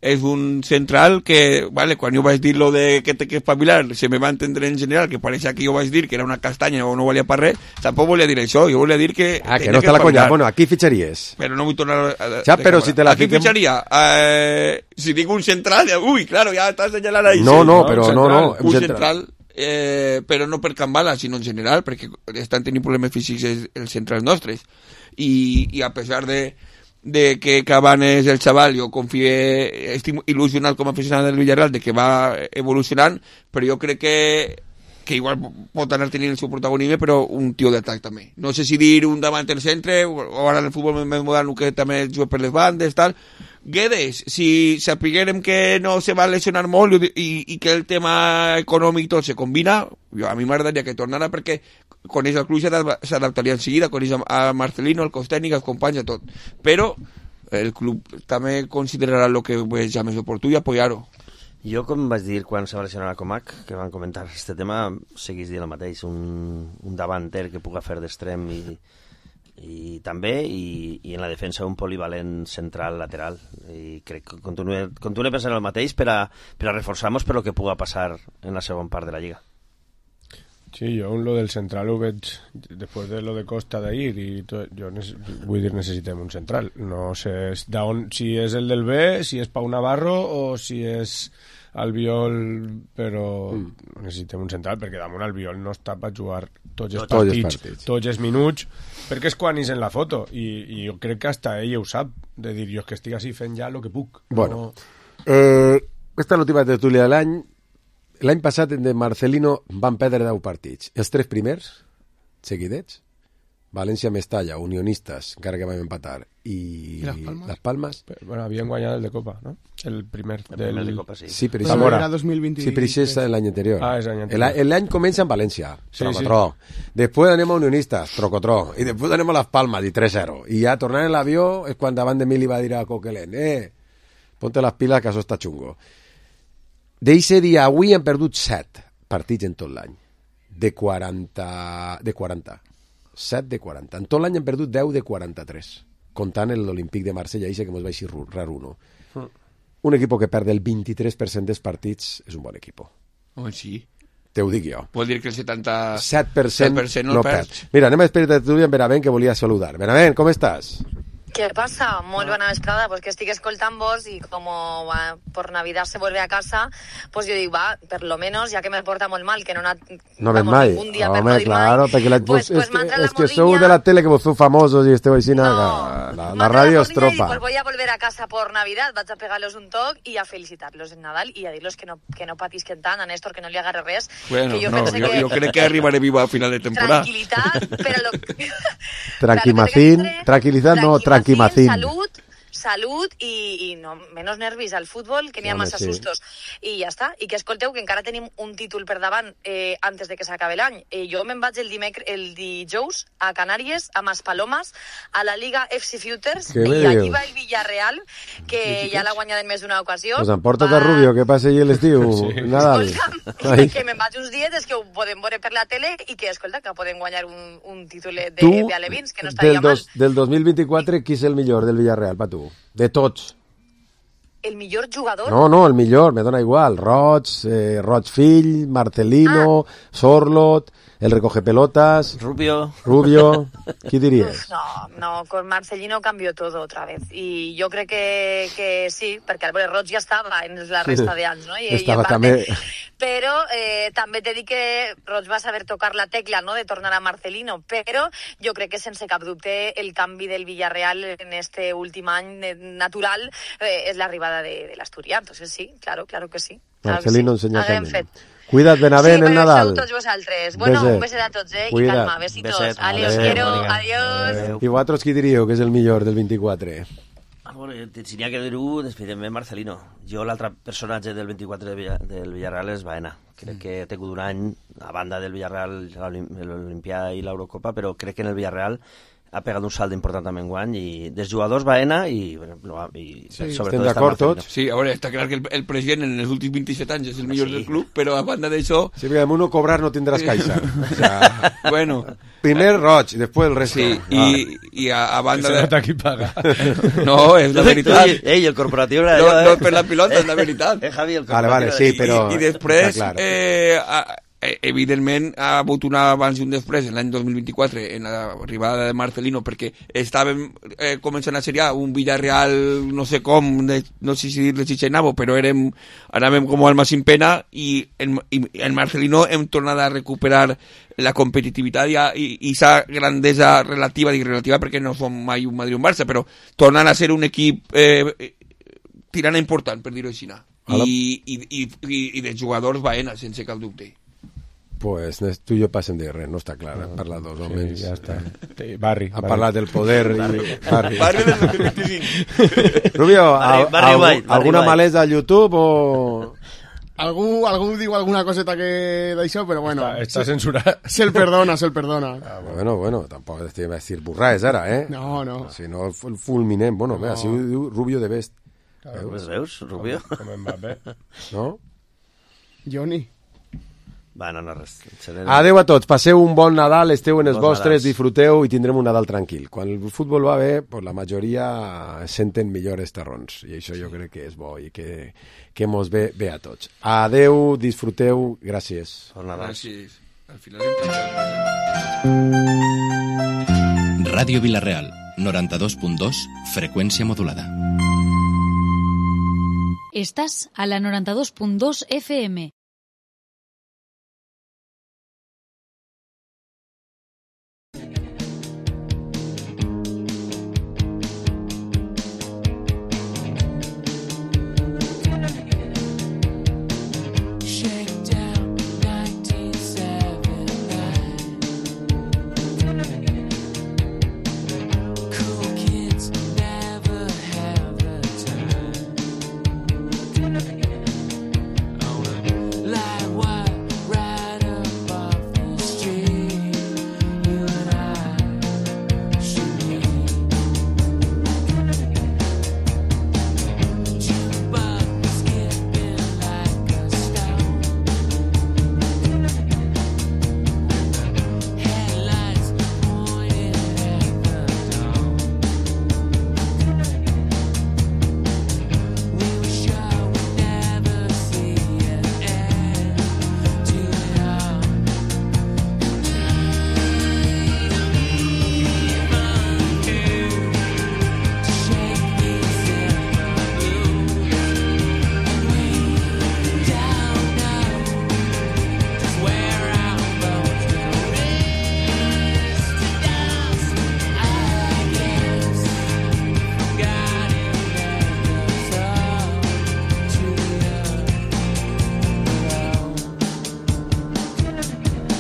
és un central que, vale, quan jo vaig dir lo de que té que espavilar, se me va entendre en general, que pareixia que jo vaig dir que era una castanya o no valia per res, tampoc volia dir això, jo volia dir que... Ah, que no està la conya, bueno, aquí fitxaries. Però no vull tornar a... Ja, però si te la aquí fiquem... fitxaria, eh, si dic un central, uy, claro, ja estàs senyalant ahí. No, sí, no, però no, no. Un central, central eh, però no per Canguala, sinó en general, perquè estan tenint problemes físics els centrals nostres. I, i a pesar de... de que Cavani és el xaval, jo confio, estic il·lusionat com a aficionat del Villarreal de que va evolucionant, però jo crec que que igual pot anar tenint el seu protagonisme, però un tio d'atac també. No sé si dir un davant del centre, o ara en el futbol més modern que també juga per les bandes, tal. Guedes, si sapiguérem que no se va lesionar molt i, i que el tema econòmic tot se combina, jo, a mi m'agradaria que tornara perquè coneix el club s'adaptaria en seguida, coneix a Marcelino, el cos tècnic, els companys, a tot. Però el club també considerarà el que veja més oportú i apoyar-ho. Jo, com vaig dir quan se va lesionar a Comac, que van comentar aquest tema, seguís dient el mateix, un, un davanter que puga fer d'extrem i, i també, i, i en la defensa un polivalent central lateral. I crec que continue, continue pensant el mateix per a, per a reforçar-nos per lo que puga passar en la segona part de la Lliga. Sí, jo lo del central ho veig després de lo de Costa d'ahir i tot, jo vull dir necessitem un central, no sé d'on, si és el del B, si és Pau Navarro o si és Albiol, però mm. necessitem un central perquè damunt Albiol no està per jugar tots els tots partits, els partits, tots els minuts, perquè és quan és en la foto i, i jo crec que hasta ell ho sap, de dir jo és que estic així fent ja el que puc. Bueno, no... eh, esta és l'última tertúlia de l'any. L'any passat de Marcelino van perdre deu partits. Els tres primers, seguidets, València, Mestalla, Unionistes, encara que vam empatar, i, I les Palmes, les Palmes. Però, bueno, havien guanyat el de Copa, no? El primer, el del... primer de Copa, sí. Sí, però això era dos mil vint. Sí, però això és l'any anterior. Ah, és l'any anterior. L'any comença en València, sí, trocotró. Sí. Després anem a Unionistes, trocotró. I després anem a les Palmes, i tres zero. I ja tornant en l'avió és quan davant de mi li va dir a Coquelin, eh, ponte les piles que això està xungo. D'eixe dia avui hem perdut set partits en tot l'any. De quaranta... De quaranta. set de quaranta. En tot l'any hem perdut deu de quaranta-tres. Comptant l'Olímpic de Marsella, eixe que mos va així raro, no? Mm. Un equip que perd el vint-i-tres per cent dels partits és un bon equip. Home, sí. Te ho dic jo. Vol dir que el setanta-set per cent, set per cent no, no perds. perds. Mira, anem a esperar de tu en Benavent, que volia saludar. Benavent, com estàs? ¿Qué pasa? Muy buena vesprada, pues que estoy escoltant vos y como va, por Navidad se vuelve a casa, pues yo digo, va, per lo menos, ya que me porta molt mal, que no, no ven mai. ningún dia Home, per no dir claro, mai, perquè la, pues, pues, pues és, que, la és que sou de la tele que vos feu famosos i esteu així, no, la, la, la ràdio es tropa. Pues voy a volver a casa por Navidad, vaig a pegarlos un toc y a felicitarlos en Nadal y a dirlos que no, que no patisquen tant, a Néstor que no li agarre res. Bueno, que jo no, pense jo, que... jo crec que arribaré viva a final de temporada. Tranquilitat, però... Lo... Tranquimacín, tranquilidad no, tranquimacín. Salud, salud i, i no, menos nervis al futbol, que n'hi ha Home, massa sí. sustos. I ja està. I que escolteu, que encara tenim un títol per davant eh, antes de que s'acabe l'any. Eh, jo me'n vaig el, dimecre, el dijous a Canàries, a Maspalomas, a la Liga F C Futures, Què i me allí dius? va el Villarreal, que ja l'ha guanyat en més d'una ocasió. Pues emporta't a Rubio, que passi allí l'estiu, sí. Nadal. Escolta'm, que me'n vaig uns dies que ho podem veure per la tele i que, escolta, que podem guanyar un, un títol de, Tu, de alevins, que no estaria del, mal. dos, del dos mil vint-i-quatre, qui és el millor del Villarreal, pa tu? De tots. El millor jugador... No, no, el millor, me dona igual. Roig, eh, Roig fill, Marcelino, ah. Sorlot, el recoge pelotas... Rubio. Rubio. Qui diries? No, no, con Marcelino cambió todo otra vez. Y yo crec que, que sí, perquè el Roig ja estava en la resta d'anys, no? I, estava i parte, també... Però eh, també t'he dit que Roig va saber tocar la tecla, no?, de tornar a Marcelino, però jo crec que sense cap dubte el canvi del Villarreal en este últim any natural eh, és l'arribada de, de l'Asturià. Entonces sí, claro, claro que sí. Claro Marcelino que sí. ensenya Haguem camí. fet. Cuida't, Benavent, sí, el Nadal. Sí, tots vosaltres. Bueno, beset. Un beset a tots, eh? Cuida't. I calma, besitos. Beset. Ale, os Adeu. quiero. Adeu. Adiós. I vosaltres qui diríeu que és el millor del vint-i-quatre? Ah, bueno, si n'hi ha que dir-ho, despedem Marcelino. Jo l'altre personatge del vint-i-quatre de Villa, del Villarreal és Baena. Crec que ha tingut un any, a banda del Villarreal, l'Olimpià i l'Eurocopa, però crec que en el Villarreal ha pegat un salt important també enguany, i dels jugadors Baena i, bueno, i sí, sobretot... estem d'acord tots? Sí, a veure, està clar que el, el president en els últims vint-i-set anys és el millor sí. del club, però a banda d'això... Sí, perquè amb uno cobrar no tindràs caixa. O sea, bueno... Primer Roig, després el resto. Sí, ah. i, i a, a banda de... de... qui paga. No, és la veritat. Ei, ei, el corporatiu... No, allò, eh? no per la pilota, és la veritat. Eh, Javi, el vale, vale, sí, però... I, i després, claro. eh, a, evidentment, ha hagut un abans i un després, en l'any dos mil vint-i-quatre, en l'arribada de Marcelino, perquè estàvem eh, començant a seriar un Villarreal, no sé com, de, no sé si dir-le Chichenabo, però érem, anàvem com alma sin pena, i en, i en Marcelino hem tornat a recuperar la competitivitat i, i, i sa grandesa relativa, dic relativa perquè no som mai un Madrid o un Barça, però tornant a ser un equip eh, tirant important, per dir-ho així. I, i, i, i, i de jugadors Baena, sense cap dubte. Pues tu i jo passen de res, no està clar, han parlat dos homes. Sí, ja està. Barri. Ha parlat del poder i... Barri. Barri del dos mil vint-i-cinc. Rubio, Barri, al, Barri algú, White, Barri alguna White. malesa a YouTube o...? Algú, algú diu alguna coseta que d'això, però bueno... Està, està censurat. Se'l perdona, se'l perdona. Ah, bueno, bueno, tampoc estem a dir burraes ara, eh? No, no. Si no, el fulminem. Bueno, no. Mira, si ho diu Rubio de Best. Veus, veus, Rubio? Com, com Mbappé. No? Johnny. Va, no, no, res. Seré... Adeu a tots, passeu un bon Nadal, esteu en els Bons vostres, Nadals. disfruteu i tindrem un Nadal tranquil. Quan el futbol va bé, pues la majoria senten millor els tarrons, i això jo crec que és bo i que, que mos ve bé a tots. Adeu, disfruteu, gràcies. Bon Nadal. Gràcies. Al final hem Ràdio Vila-real, noranta-dos punt dos, freqüència modulada. Estás a la noranta dos punt dos F M.